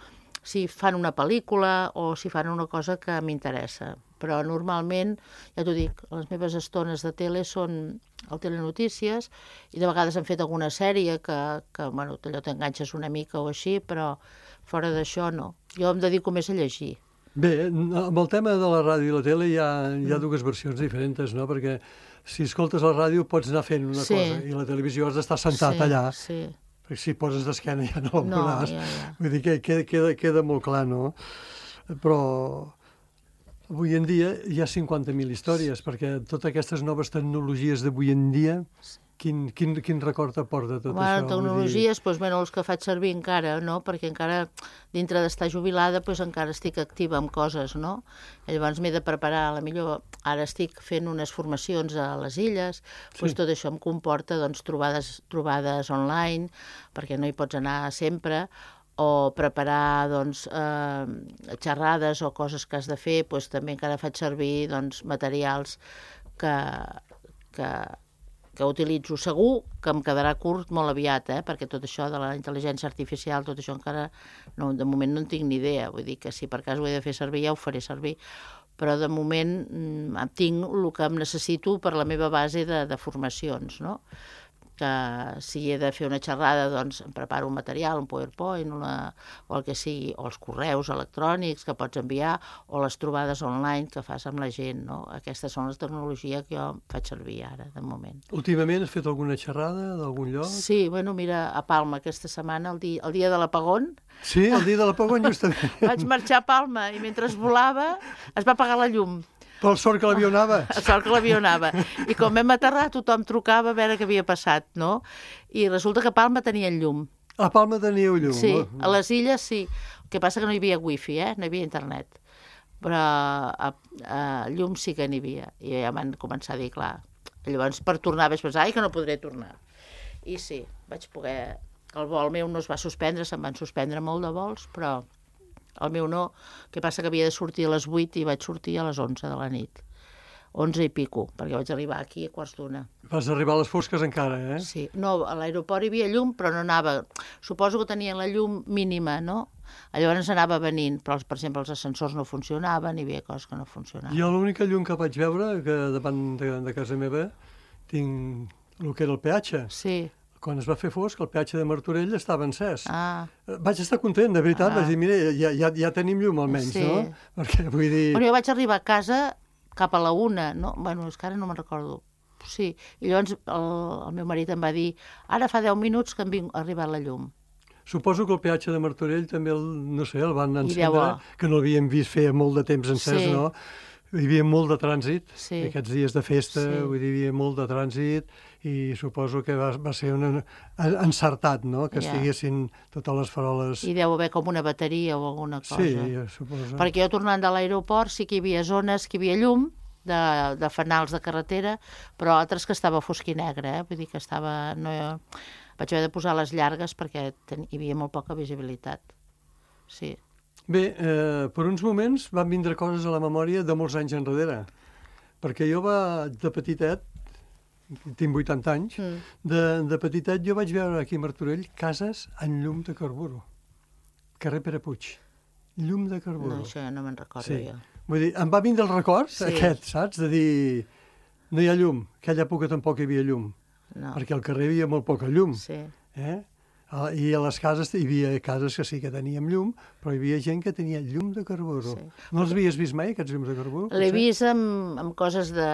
si fan una pel·lícula o si fan una cosa que m'interessa. Però normalment, ja t'ho dic, les meves estones de tele són el telenotícies i de vegades han fet alguna sèrie que, que bueno, allò t'enganxes una mica o així, però fora d'això no. Jo em dedico més a llegir. Bé, amb el tema de la ràdio i la tele hi ha, hi ha dues versions diferents, no? Perquè si escoltes la ràdio pots anar fent una sí. cosa i la televisió has d'estar sentat sí, allà. Sí. Perquè si poses d'esquena ja no la no, veuràs. Ja, ja. Vull dir que queda, queda, queda molt clar, no? Però avui en dia hi ha cinquanta mil històries, perquè totes aquestes noves tecnologies d'avui en dia, quin, quin, quin record t'aporta tot bueno, això? Tecnologies, doncs, bueno, els que faig servir encara, no? Perquè encara, dintre d'estar jubilada, doncs, encara estic activa amb coses, no? I llavors m'he de preparar, a la millor, ara estic fent unes formacions a les illes, doncs sí. Tot això em comporta, doncs, trobades, trobades online, perquè no hi pots anar sempre, o preparar doncs, eh, xerrades o coses que has de fer, doncs, també encara faig servir doncs, materials que, que, que utilitzo. Segur que em quedarà curt molt aviat, eh? Perquè tot això de la intel·ligència artificial, tot això encara, no, de moment no en tinc ni idea. Vull dir que si per cas ho he de fer servir, ja ho faré servir. Però de moment mm, tinc el que em necessito per la meva base de, de formacions, no? que si he de fer una xerrada, doncs em preparo un material, un PowerPoint, una, o el que sigui, o els correus electrònics que pots enviar, o les trobades online que fas amb la gent, no? Aquestes són les tecnologies que jo faig servir ara, de moment. Últimament has fet alguna xerrada d'algun lloc? Sí, bueno, mira, a Palma aquesta setmana, el dia, el dia de l'apagón. Sí, el dia de l'apagón justament. Vaig marxar a Palma i mentre volava es va apagar la llum. Per sort que l'avió anava. Per sort que l'avió anava. I com vam aterrar, tothom trucava a veure què havia passat, no? I resulta que a Palma tenien llum. A Palma teníeu llum? Sí, a les illes sí. El que passa que no hi havia wifi, eh? No hi havia internet. Però a, a llum sí que n'hi havia. I ja van començar a dir, clar. Llavors, per tornar, vaig pensar, ai, que no podré tornar. I sí, vaig poder... El vol meu no es va suspendre, se'n van suspendre molt de vols, però... El meu no, que passa que havia de sortir a les vuit i vaig sortir a les onze de la nit. onze i pico, perquè vaig arribar aquí a quarts d'una. Vas arribar a les fosques encara, eh? Sí. No, a l'aeroport hi havia llum, però no anava... Suposo que tenien la llum mínima, no? Llavors anava venint, però, per exemple, els ascensors no funcionaven, hi havia coses que no funcionaven. Jo l'única llum que vaig veure, que davant de, de casa meva, tinc el que era el peatge. Sí. Quan es va fer fosc, el peatge de Martorell estava encès. Ah. Vaig estar content, de veritat. Ah. Vaig dir, mira, ja, ja, ja tenim llum almenys, Sí. no? Perquè vull dir... Bueno, jo vaig arribar a casa cap a la una, no? Bueno, és que ara no me'n recordo. Sí. I llavors el, el meu marit em va dir, ara fa deu minuts que em ha arribat la llum. Suposo que el peatge de Martorell també, el, no sé, el van encendre, llavors... que no l'havíem vist feia molt de temps encès, Sí. no? Hi havia molt de trànsit, Sí. aquests dies de festa, Sí. vull dir, hi havia molt de trànsit i suposo que va, va ser un encertat, no?, que Ja. estiguessin totes les faroles... I deu haver com una bateria o alguna cosa. Sí, jo suposo. Perquè jo tornant de l'aeroport sí que hi havia zones que hi havia llum, de, de fanals de carretera, però altres que estava fosc i negre, eh? Vull dir que estava... No, vaig haver de posar les llargues perquè ten, hi havia molt poca visibilitat. Sí. Bé, eh, per uns moments van vindre coses a la memòria de molts anys enrere, perquè jo va, de petitet, tinc vuitanta anys, Mm. de, de petitet jo vaig veure aquí a Martorell cases amb llum de carburo. Carrer Pere Puig. Llum de carburo. No, això ja no me'n recordo Sí. jo. Vull dir, em va vindre el record, Sí. aquest, saps? De dir, no hi ha llum. Aquella època tampoc hi havia llum, No. perquè al carrer hi havia molt poca llum. Sí. Eh? Ah, I a les cases hi havia cases que sí que teníem llum, però hi havia gent que tenia llum de carburo. Sí. No els havies vist mai, aquests llums de carburo? L'he potser? vist amb, amb coses de,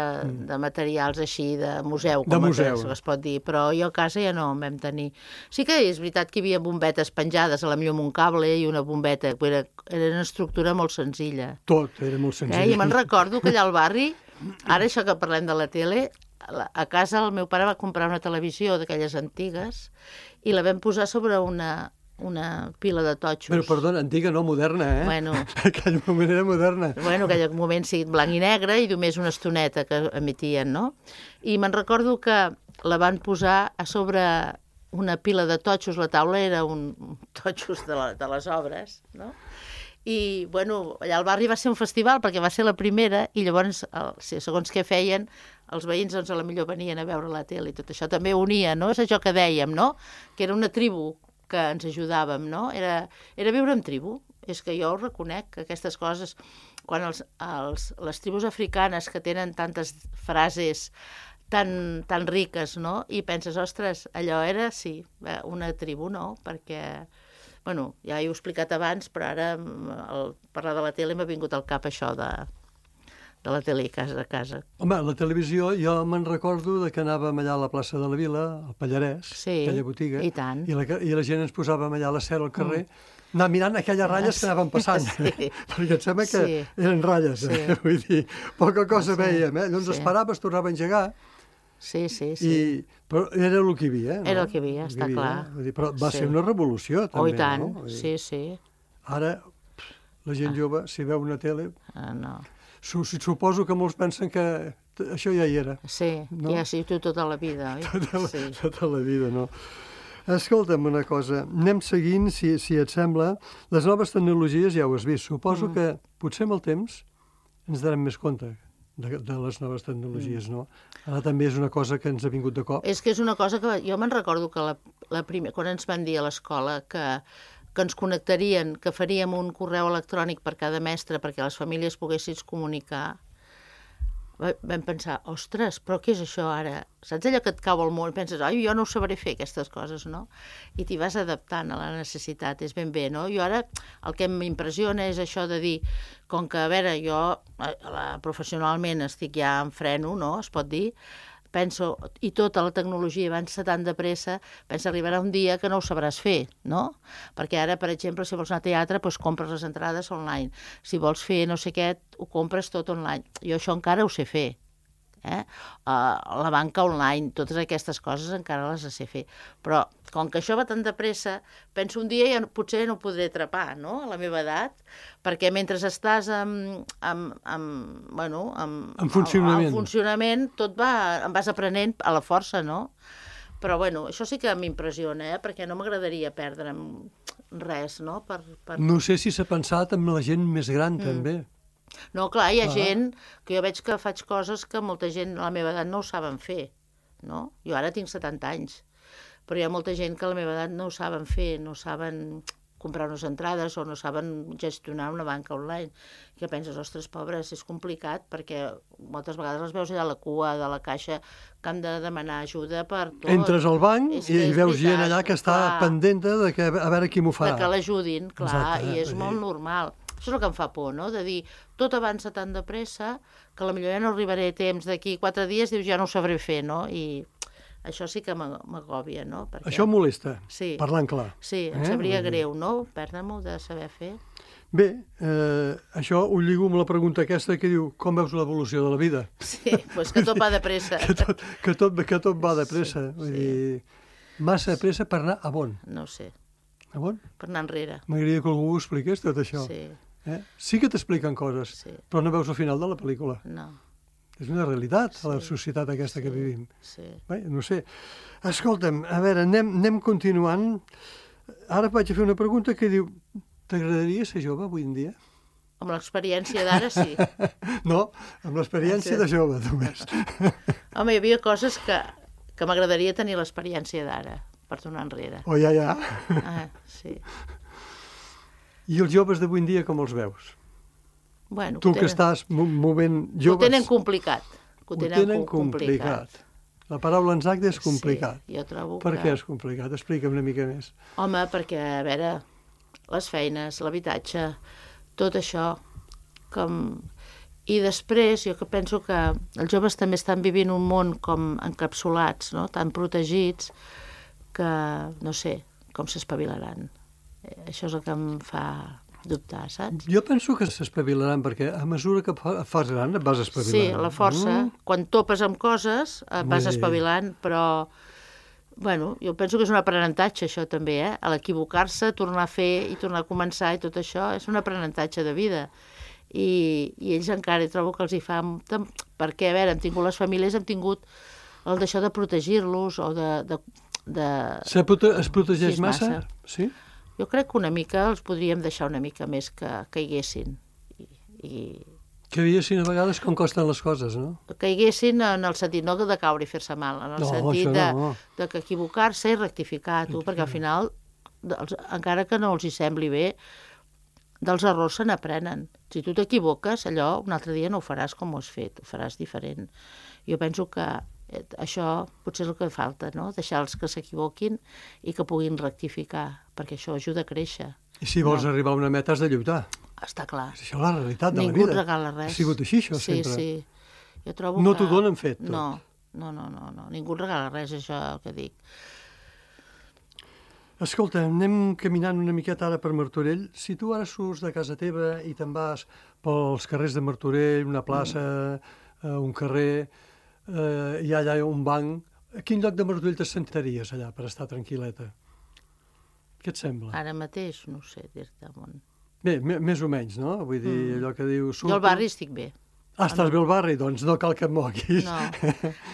de materials així, de museu, De com museu. es, es pot dir, però jo a casa ja no en vam tenir. Sí que és veritat que hi havia bombetes penjades, a la millor amb un cable i una bombeta, que era, era una estructura molt senzilla. Tot, era molt senzill. Eh? I me'n recordo que allà al barri, ara això que parlem de la tele, a la- a casa el meu pare va comprar una televisió d'aquelles antigues i la vam posar sobre una, una pila de totxos. Però, perdona, antiga, no moderna, eh? Bueno. Aquell moment era moderna. Bueno, en aquell moment sí, blanc i negre i només una estoneta que emetien, no? I me'n recordo que la van posar a sobre una pila de totxos, la taula era un un totxos de, la, de les obres, no? I, bueno, allà al barri va ser un festival perquè va ser la primera i llavors, el, sí, segons què feien, els veïns, doncs, a la millor venien a veure la tele i tot això també unia, no? És això que dèiem, no? Que era una tribu que ens ajudàvem, no? Era, era viure en tribu. És que jo ho reconec, que aquestes coses, quan els, els, les tribus africanes que tenen tantes frases tan, tan riques, no? I penses, ostres, allò era, sí, una tribu, no? Perquè, bueno, ja ho he explicat abans, però ara al parlar de la tele m'ha vingut al cap això de, de la tele a casa a casa. Home, la televisió, jo me'n recordo de que anàvem allà a la plaça de la Vila, al Pallarès, Sí, aquella botiga, i tant. I, la, i la gent ens posàvem allà a la cera al carrer, mm. anar mirant aquelles ratlles Ah, que anaven passant, sí. perquè em sembla que Sí. eren ratlles, Sí. eh? Vull dir, poca cosa Sí. veiem, eh? Llavors Sí. esperaves, tornava a engegar, Sí, sí, sí. i, però era el que hi havia. No? Era el que hi havia, està clar. Vull dir, però va Sí. ser una revolució, també. Oh, i tant, no? Vull dir, sí, sí. Ara, pff, la gent jove, si veu una tele, Ah, no. su suposo que molts pensen que t- això ja hi era. Sí, No? no? Ja sí, tu tota la vida, oi? Tota la, Sí. tota la vida, no? Escolta'm una cosa, anem seguint, si, si et sembla. Les noves tecnologies ja ho has vist. Suposo mm. que potser amb el temps ens darem més compte de, de les noves tecnologies, mm. no? Ara també és una cosa que ens ha vingut de cop. És que és una cosa que jo me'n recordo que la, la primer, quan ens van dir a l'escola que, que ens connectarien, que faríem un correu electrònic per cada mestre perquè les famílies poguessin comunicar, vam pensar, ostres, però què és això ara? Saps allò que et cau al món? Penses, ai, jo no ho sabré fer, aquestes coses, no? I t'hi vas adaptant a la necessitat, és ben bé, no? Jo ara, el que m'impressiona és això de dir, com que, a veure, jo la, professionalment estic ja en freno, no?, es pot dir, penso, i tota la tecnologia avança tan de pressa, pensa arribarà un dia que no ho sabràs fer, no? Perquè ara, per exemple, si vols anar a teatre, doncs compres les entrades online. Si vols fer no sé què, ho compres tot online. Jo això encara ho sé fer. Eh? Uh, la banca online, totes aquestes coses encara les sé fer. Però, com que això va tan de pressa, penso un dia ja potser no ho podré atrapar, no?, a la meva edat, perquè mentre estàs amb, amb, amb, bueno, amb, en funcionament. En funcionament, tot va, em vas aprenent a la força, no? Però, bueno, això sí que m'impressiona, eh? Perquè no m'agradaria perdre'm res, no? Per, per... No sé si s'ha pensat en la gent més gran, mm. també. No, clar, hi ha ah. gent que jo veig que faig coses que molta gent a la meva edat no ho saben fer, no? Jo ara tinc setanta anys, però hi ha molta gent que a la meva edat no ho saben fer, no saben comprar unes entrades o no saben gestionar una banca online. Que penses, ostres, pobres, és complicat, perquè moltes vegades les veus allà a la cua de la caixa que han de demanar ajuda per tot. Entres al banc i, i veus veritat, gent allà que està clar, pendent de que, a veure qui m'ho farà. De que l'ajudin, clar, exacte, i és sí. molt normal. Això és el que em fa por, no?, de dir, tot avança tan de pressa que potser ja no arribaré a temps, d'aquí quatre dies dius ja no ho sabré fer, no? I això sí que m'agòbia, no? Perquè... Això molesta, sí. parlant clar. Sí, em eh? sabria greu, no?, perdre-m'ho de saber fer. Bé, eh, això ho lligo amb la pregunta aquesta que diu, com veus l'evolució de la vida? Sí, doncs que tot va de pressa. que, tot, que, tot, que tot va de pressa. Sí, Vull sí. dir, massa de pressa per anar a on? No sé. A on? Per anar enrere. M'agradaria que algú ho expliqués, tot això. Sí. Eh? Sí que t'expliquen coses, sí. però no veus el final de la pel·lícula. No. És una realitat, sí. a la societat aquesta sí. que vivim. Sí. Bé, no sé. Escolta'm, a veure, anem, anem continuant. Ara vaig a fer una pregunta que diu, t'agradaria ser jove avui en dia? Amb l'experiència d'ara, sí. No, amb l'experiència sí. de jove, només. Home, hi havia coses que, que m'agradaria tenir l'experiència d'ara, per tornar enrere. Oh, ja, ja. Ah, sí. I els joves d'avui en dia com els veus? Bueno, tu que, que estàs movent joves... Ho tenen complicat. Ho tenen, ho tenen complicat. complicat. La paraula exacta és complicat. Sí, jo trobo per que... què és complicat? Explica'm una mica més. Home, perquè, a veure, les feines, l'habitatge, tot això, com... I després, jo que penso que els joves també estan vivint un món com encapsulats, no?, tan protegits, que, no sé, com s'espavilaran. Això és el que em fa dubtar, saps? Jo penso que s'espavilaran, perquè a mesura que fas gran et vas espavilant. Sí, la força. Mm. Quan topes amb coses et vas Vull espavilant, dir... però... Bueno, jo penso que és un aprenentatge, això també, eh? A l'equivocar-se, tornar a fer i tornar a començar i tot això és un aprenentatge de vida. I, i ells encara trobo que els hi fa... Perquè, a veure, hem tingut les famílies, hem tingut el d'això de protegir-los o de... de, de... Se prote es protegeix sí, massa? massa? Sí? Jo crec que una mica els podríem deixar una mica més que caiguessin. I, i... Caiguessin a vegades com costen les coses, no? Caiguessin en el sentit, no de caure i fer-se mal, en el no, sentit de, no. de que equivocar-se i rectificar, tu, perquè al final, dels, encara que no els hi sembli bé, dels errors se n'aprenen. Si tu t'equivoques, allò un altre dia no ho faràs com ho has fet, ho faràs diferent. Jo penso que això potser és el que falta, no? Deixar-los que s'equivoquin i que puguin rectificar, perquè això ajuda a créixer. I si vols no. arribar a una meta has de lluitar. Està clar. És això la realitat de Ningú la vida. Ningú et regala res. Ha sigut així, això, sí, sempre. Sí, sí. Jo trobo no que... t'ho donen fet, tot. No, no, no, no, no. Ningú et regala res, això el que dic. Escolta, anem caminant una miqueta ara per Martorell. Si tu ara surts de casa teva i te'n vas pels carrers de Martorell, una plaça, mm. uh, un carrer... Uh, hi ha allà un banc. A quin lloc de Martorell te sentaries allà per estar tranquil·leta? Què et sembla? Ara mateix, no sé dir-te on. Bé, més o menys, no? Vull dir, mm. allò que diu... Surto... Jo al barri estic bé. Ah, estàs no. bé al barri? Doncs no cal que et moguis. No,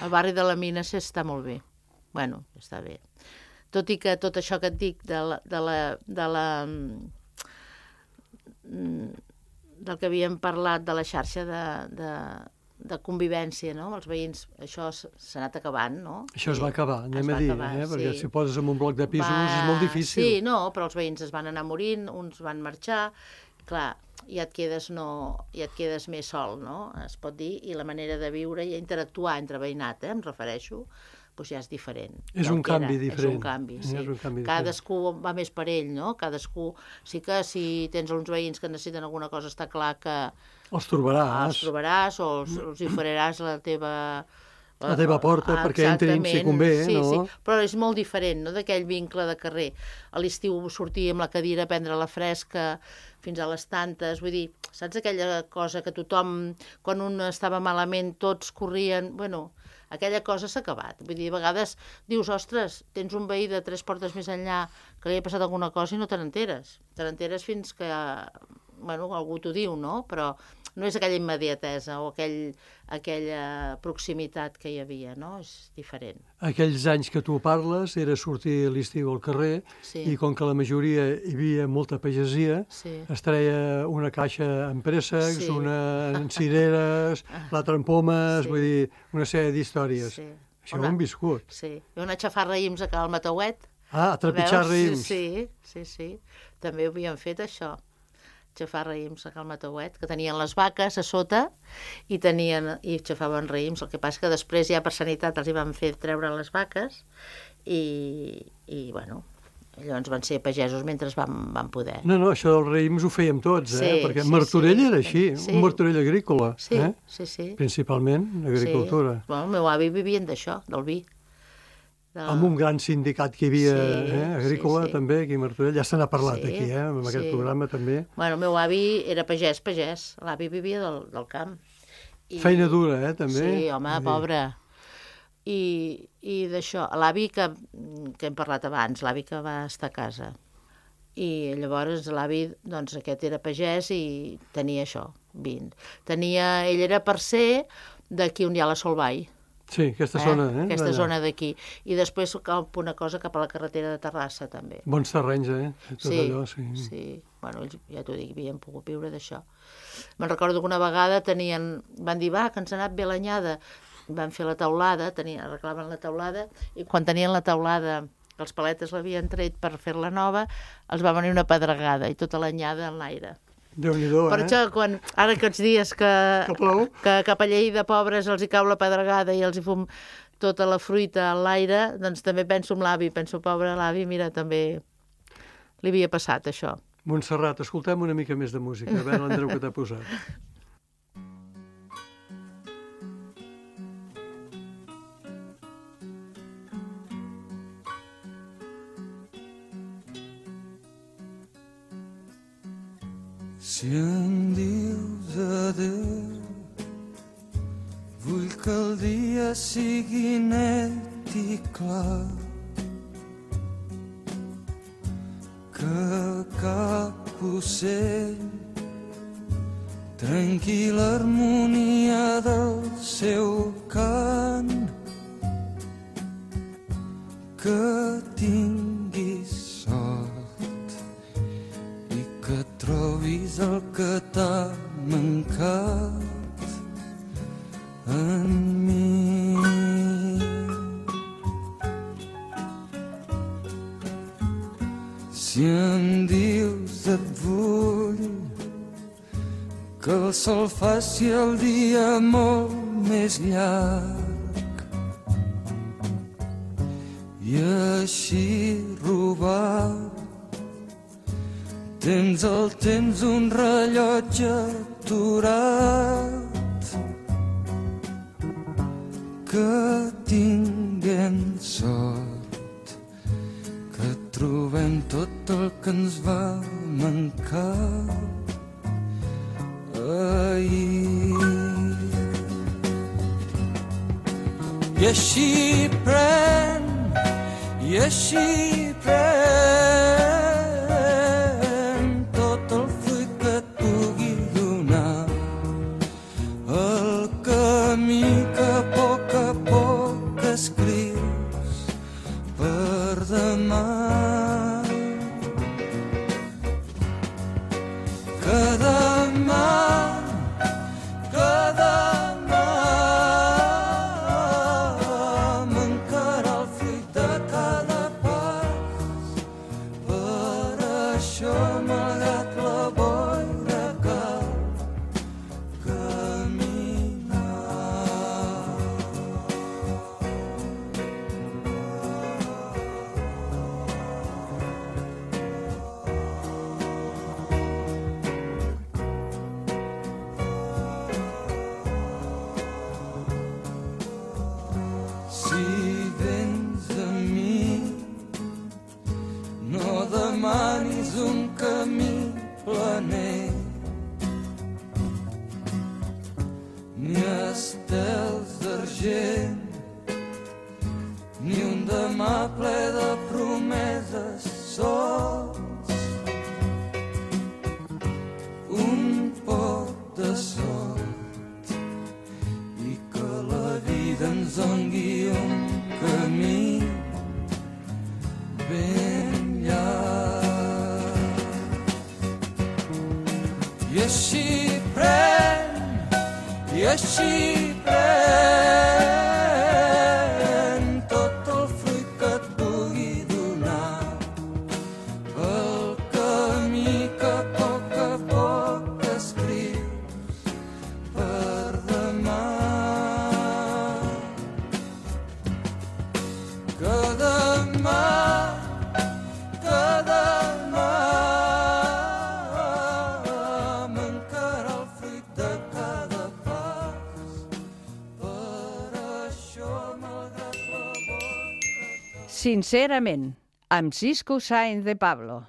el barri de la Mina està molt bé. Bueno, està bé. Tot i que tot això que et dic de la... De la, de la del que havíem parlat de la xarxa de... de de convivència, no? Els veïns, això s'ha anat acabant, no? Això es va acabar, anem a dir, acabar, eh? Perquè sí. si poses en un bloc de pisos va... és molt difícil. Sí, no, però els veïns es van anar morint, uns van marxar, clar, ja et quedes, no, ja et quedes més sol, no? Es pot dir, i la manera de viure i interactuar entre veïnat, eh, em refereixo, doncs ja és diferent. És un canvi diferent. És un canvi, sí. És un canvi Cadascú va més per ell, no? Cadascú... Sí que si tens uns veïns que necessiten alguna cosa, està clar que... Els trobaràs. Els trobaràs o els, els hi oferiràs la teva... La teva porta, ah, perquè entrin si convé, sí, no? Sí, però és molt diferent, no?, d'aquell vincle de carrer. A l'estiu sortir amb la cadira a prendre la fresca fins a les tantes, vull dir, saps aquella cosa que tothom, quan un estava malament, tots corrien... Bueno, aquella cosa s'ha acabat. Vull dir, a vegades dius, ostres, tens un veí de tres portes més enllà que li ha passat alguna cosa i no te n'enteres. Te n'enteres fins que, bueno, algú t'ho diu, no? Però no és aquella immediatesa o aquell, aquella proximitat que hi havia, no? És diferent. Aquells anys que tu parles era sortir a l'estiu al carrer, sí. I com que la majoria hi havia molta pagesia, sí. Es treia una caixa amb préssecs, sí. una en cireres, l'altra en pomes, sí. Vull dir, una sèrie d'històries. Sí. Això ho hem viscut. Sí, i una xafar raïms a Cal Matauet. Ah, a trepitjar raïms. Sí, sí, sí, també ho havien fet, això. Xafar raïms a Cal Matauet, que tenien les vaques a sota i tenien i xafaven raïms. El que passa que després ja per sanitat els hi van fer treure les vaques i, i bueno, llavors van ser pagesos mentre van, van poder. No, no, això dels raïms ho fèiem tots, eh? Sí, Perquè sí, Martorell sí. era així, Sí. un Martorell agrícola. Sí, eh? sí, sí. Principalment agricultura. Sí. Bueno, el meu avi vivien d'això, del vi. De... Amb un gran sindicat que hi havia, Sí, eh? Agrícola sí, sí. també, aquí a Martorell. Ja se n'ha parlat Sí, aquí, eh? Amb aquest sí. programa també. Bueno, el meu avi era pagès, pagès. L'avi vivia del, del camp. I... Feina dura, eh, també? Sí, home, Vull dir, pobre. I, i d'això, l'avi que, que hem parlat abans, l'avi que va estar a casa. I llavors l'avi, doncs aquest era pagès i tenia això, vint. Tenia, ell era parcer d'aquí on hi ha la Solvall. Sí, aquesta zona, eh? Aquesta d'allà. zona d'aquí. I després cap una cosa cap a la carretera de Terrassa, també. Bons terrenys, eh? Tot Sí, allò, sí. sí. Bueno, ells, ja t'ho dic, havien pogut viure d'això. Me'n recordo que una vegada tenien, van dir, va, que ens ha anat bé l'anyada. Van fer la teulada, tenien, arreglaven la teulada, i quan tenien la teulada, els paletes l'havien tret per fer-la nova, els va venir una pedregada, i tota l'anyada en l'aire. Déu-n'hi-do, Per eh? això, quan, ara aquests dies que, Que plou. que cap a Lleida, pobres, els hi cau la pedregada i els hi fum tota la fruita a l'aire, doncs també penso en l'avi, penso, pobre l'avi, mira, també li havia passat això. Montserrat, escoltem una mica més de música, a veure l'Andreu que t'ha posat. Si em dius adéu, vull que el dia sigui net i clar, que cap ocell trenqui l'harmonia del seu cant, que tinguis sort i que trobis el que t'ha mancat en mi. Si em dius et vull, que el sol faci el dia molt més llarg i així robar tens el temps un rellotge aturat, que tinguem sort, que trobem tot el que ens va mancar ahir. I així pren, i així pren tot el fruit que et pugui donar, el camí que a poc a poc escrius per demà. Que demà, que demà mancarà el fruit de cada pas. Per això, malgrat la boira ni un demà ple de promeses sols. Un poc de sort i que la vida ens doni un camí ben llarg. I així pren, i així pren tot el fruit que et pugui donar el camí que a poc a poc escrius per demà. Que demà, que demà mancarà el fruit de cada pas. Per això, malgrat la boca... Sincerament, amb Cisco Sáenz de Pablo.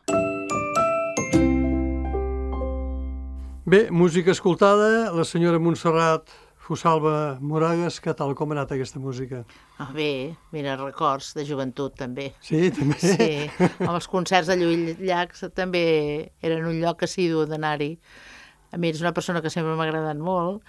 Bé, música escoltada, la senyora Montserrat Fusalva Moragues, què tal, com ha anat aquesta música? Ah, bé, mira, records de joventut, també. Sí, també? Sí, amb els concerts de Lluís Llach també eren un lloc assidu d'anar-hi. A mi és una persona que sempre m'ha agradat molt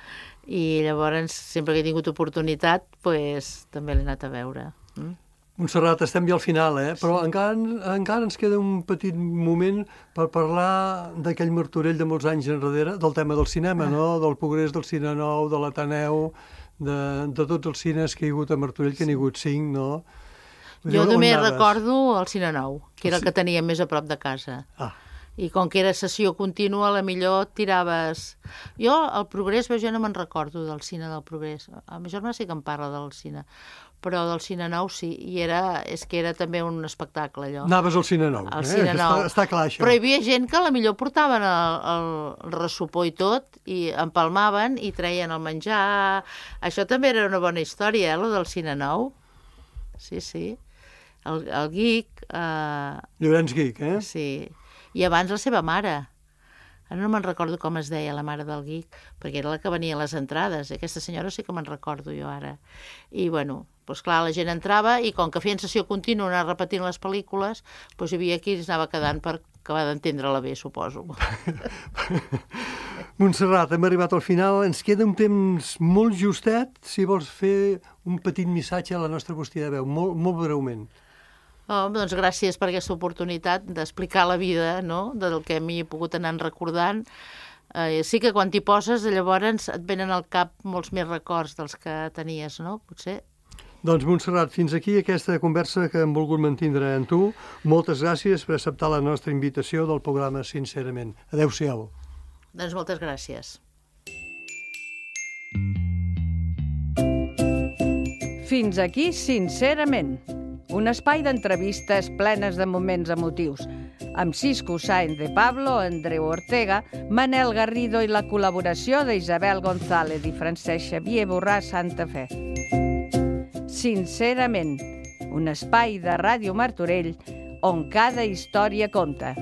i llavors, sempre que he tingut oportunitat, pues, també l'he anat a veure. Mm? Montserrat, estem ja al final, eh? Però encara, encara ens queda un petit moment per parlar d'aquell Martorell de molts anys enrere, del tema del cinema, no? Del progrés del Cine Nou, de l'Ateneu, de, de tots els cines que hi ha hagut a Martorell, que n'hi ha hagut cinc, no? Vull dir, Jo on només anaves? recordo el Cine Nou, que era el que tenia més a prop de casa. Ah, I com que era sessió contínua, a la millor tiraves... Jo, el Progrés, jo no me'n recordo del cine del Progrés. A ma germana sí que em parla del cine, però del Cine Nou sí, i era, és que era també un espectacle, allò. anaves al Cine Nou, Al eh? Cine Nou. Està, està clar, això. Però hi havia gent que a la millor portaven el, el, el ressupor i tot, i empalmaven i treien el menjar. Això també era una bona història, eh, lo del Cine Nou. Sí, sí. El, el Guic... Eh, Llorenç Guic, eh? sí. I abans la seva mare. Ara no me'n recordo com es deia la mare del Guic, perquè era la que venia a les entrades. Aquesta senyora sí que me'n recordo jo ara. I, bueno, doncs clar, la gent entrava i com que feien sessió contínua, anar repetint les pel·lícules, doncs hi havia qui es anava quedant per acabar d'entendre-la bé, suposo. Montserrat, hem arribat al final. Ens queda un temps molt justet, si vols fer un petit missatge a la nostra bústia de veu, molt, molt breument. Oh, doncs gràcies per aquesta oportunitat d'explicar la vida, no?, del que a mi he pogut anar recordant. Eh, sí que quan t'hi poses, llavors et venen al cap molts més records dels que tenies, no?, potser. Doncs, Montserrat, fins aquí aquesta conversa que hem volgut mantindre amb tu. Moltes gràcies per acceptar la nostra invitació del programa Sincerament. Adéu-siau. Doncs moltes gràcies. Fins aquí, Sincerament, un espai d'entrevistes plenes de moments emotius, amb Cisco Sáenz de Pablo, Andreu Ortega, Manel Garrido i la col·laboració d'Isabel González i Francesc Xavier Borràs Santa Fe. Sincerament, un espai de Ràdio Martorell on cada història compta.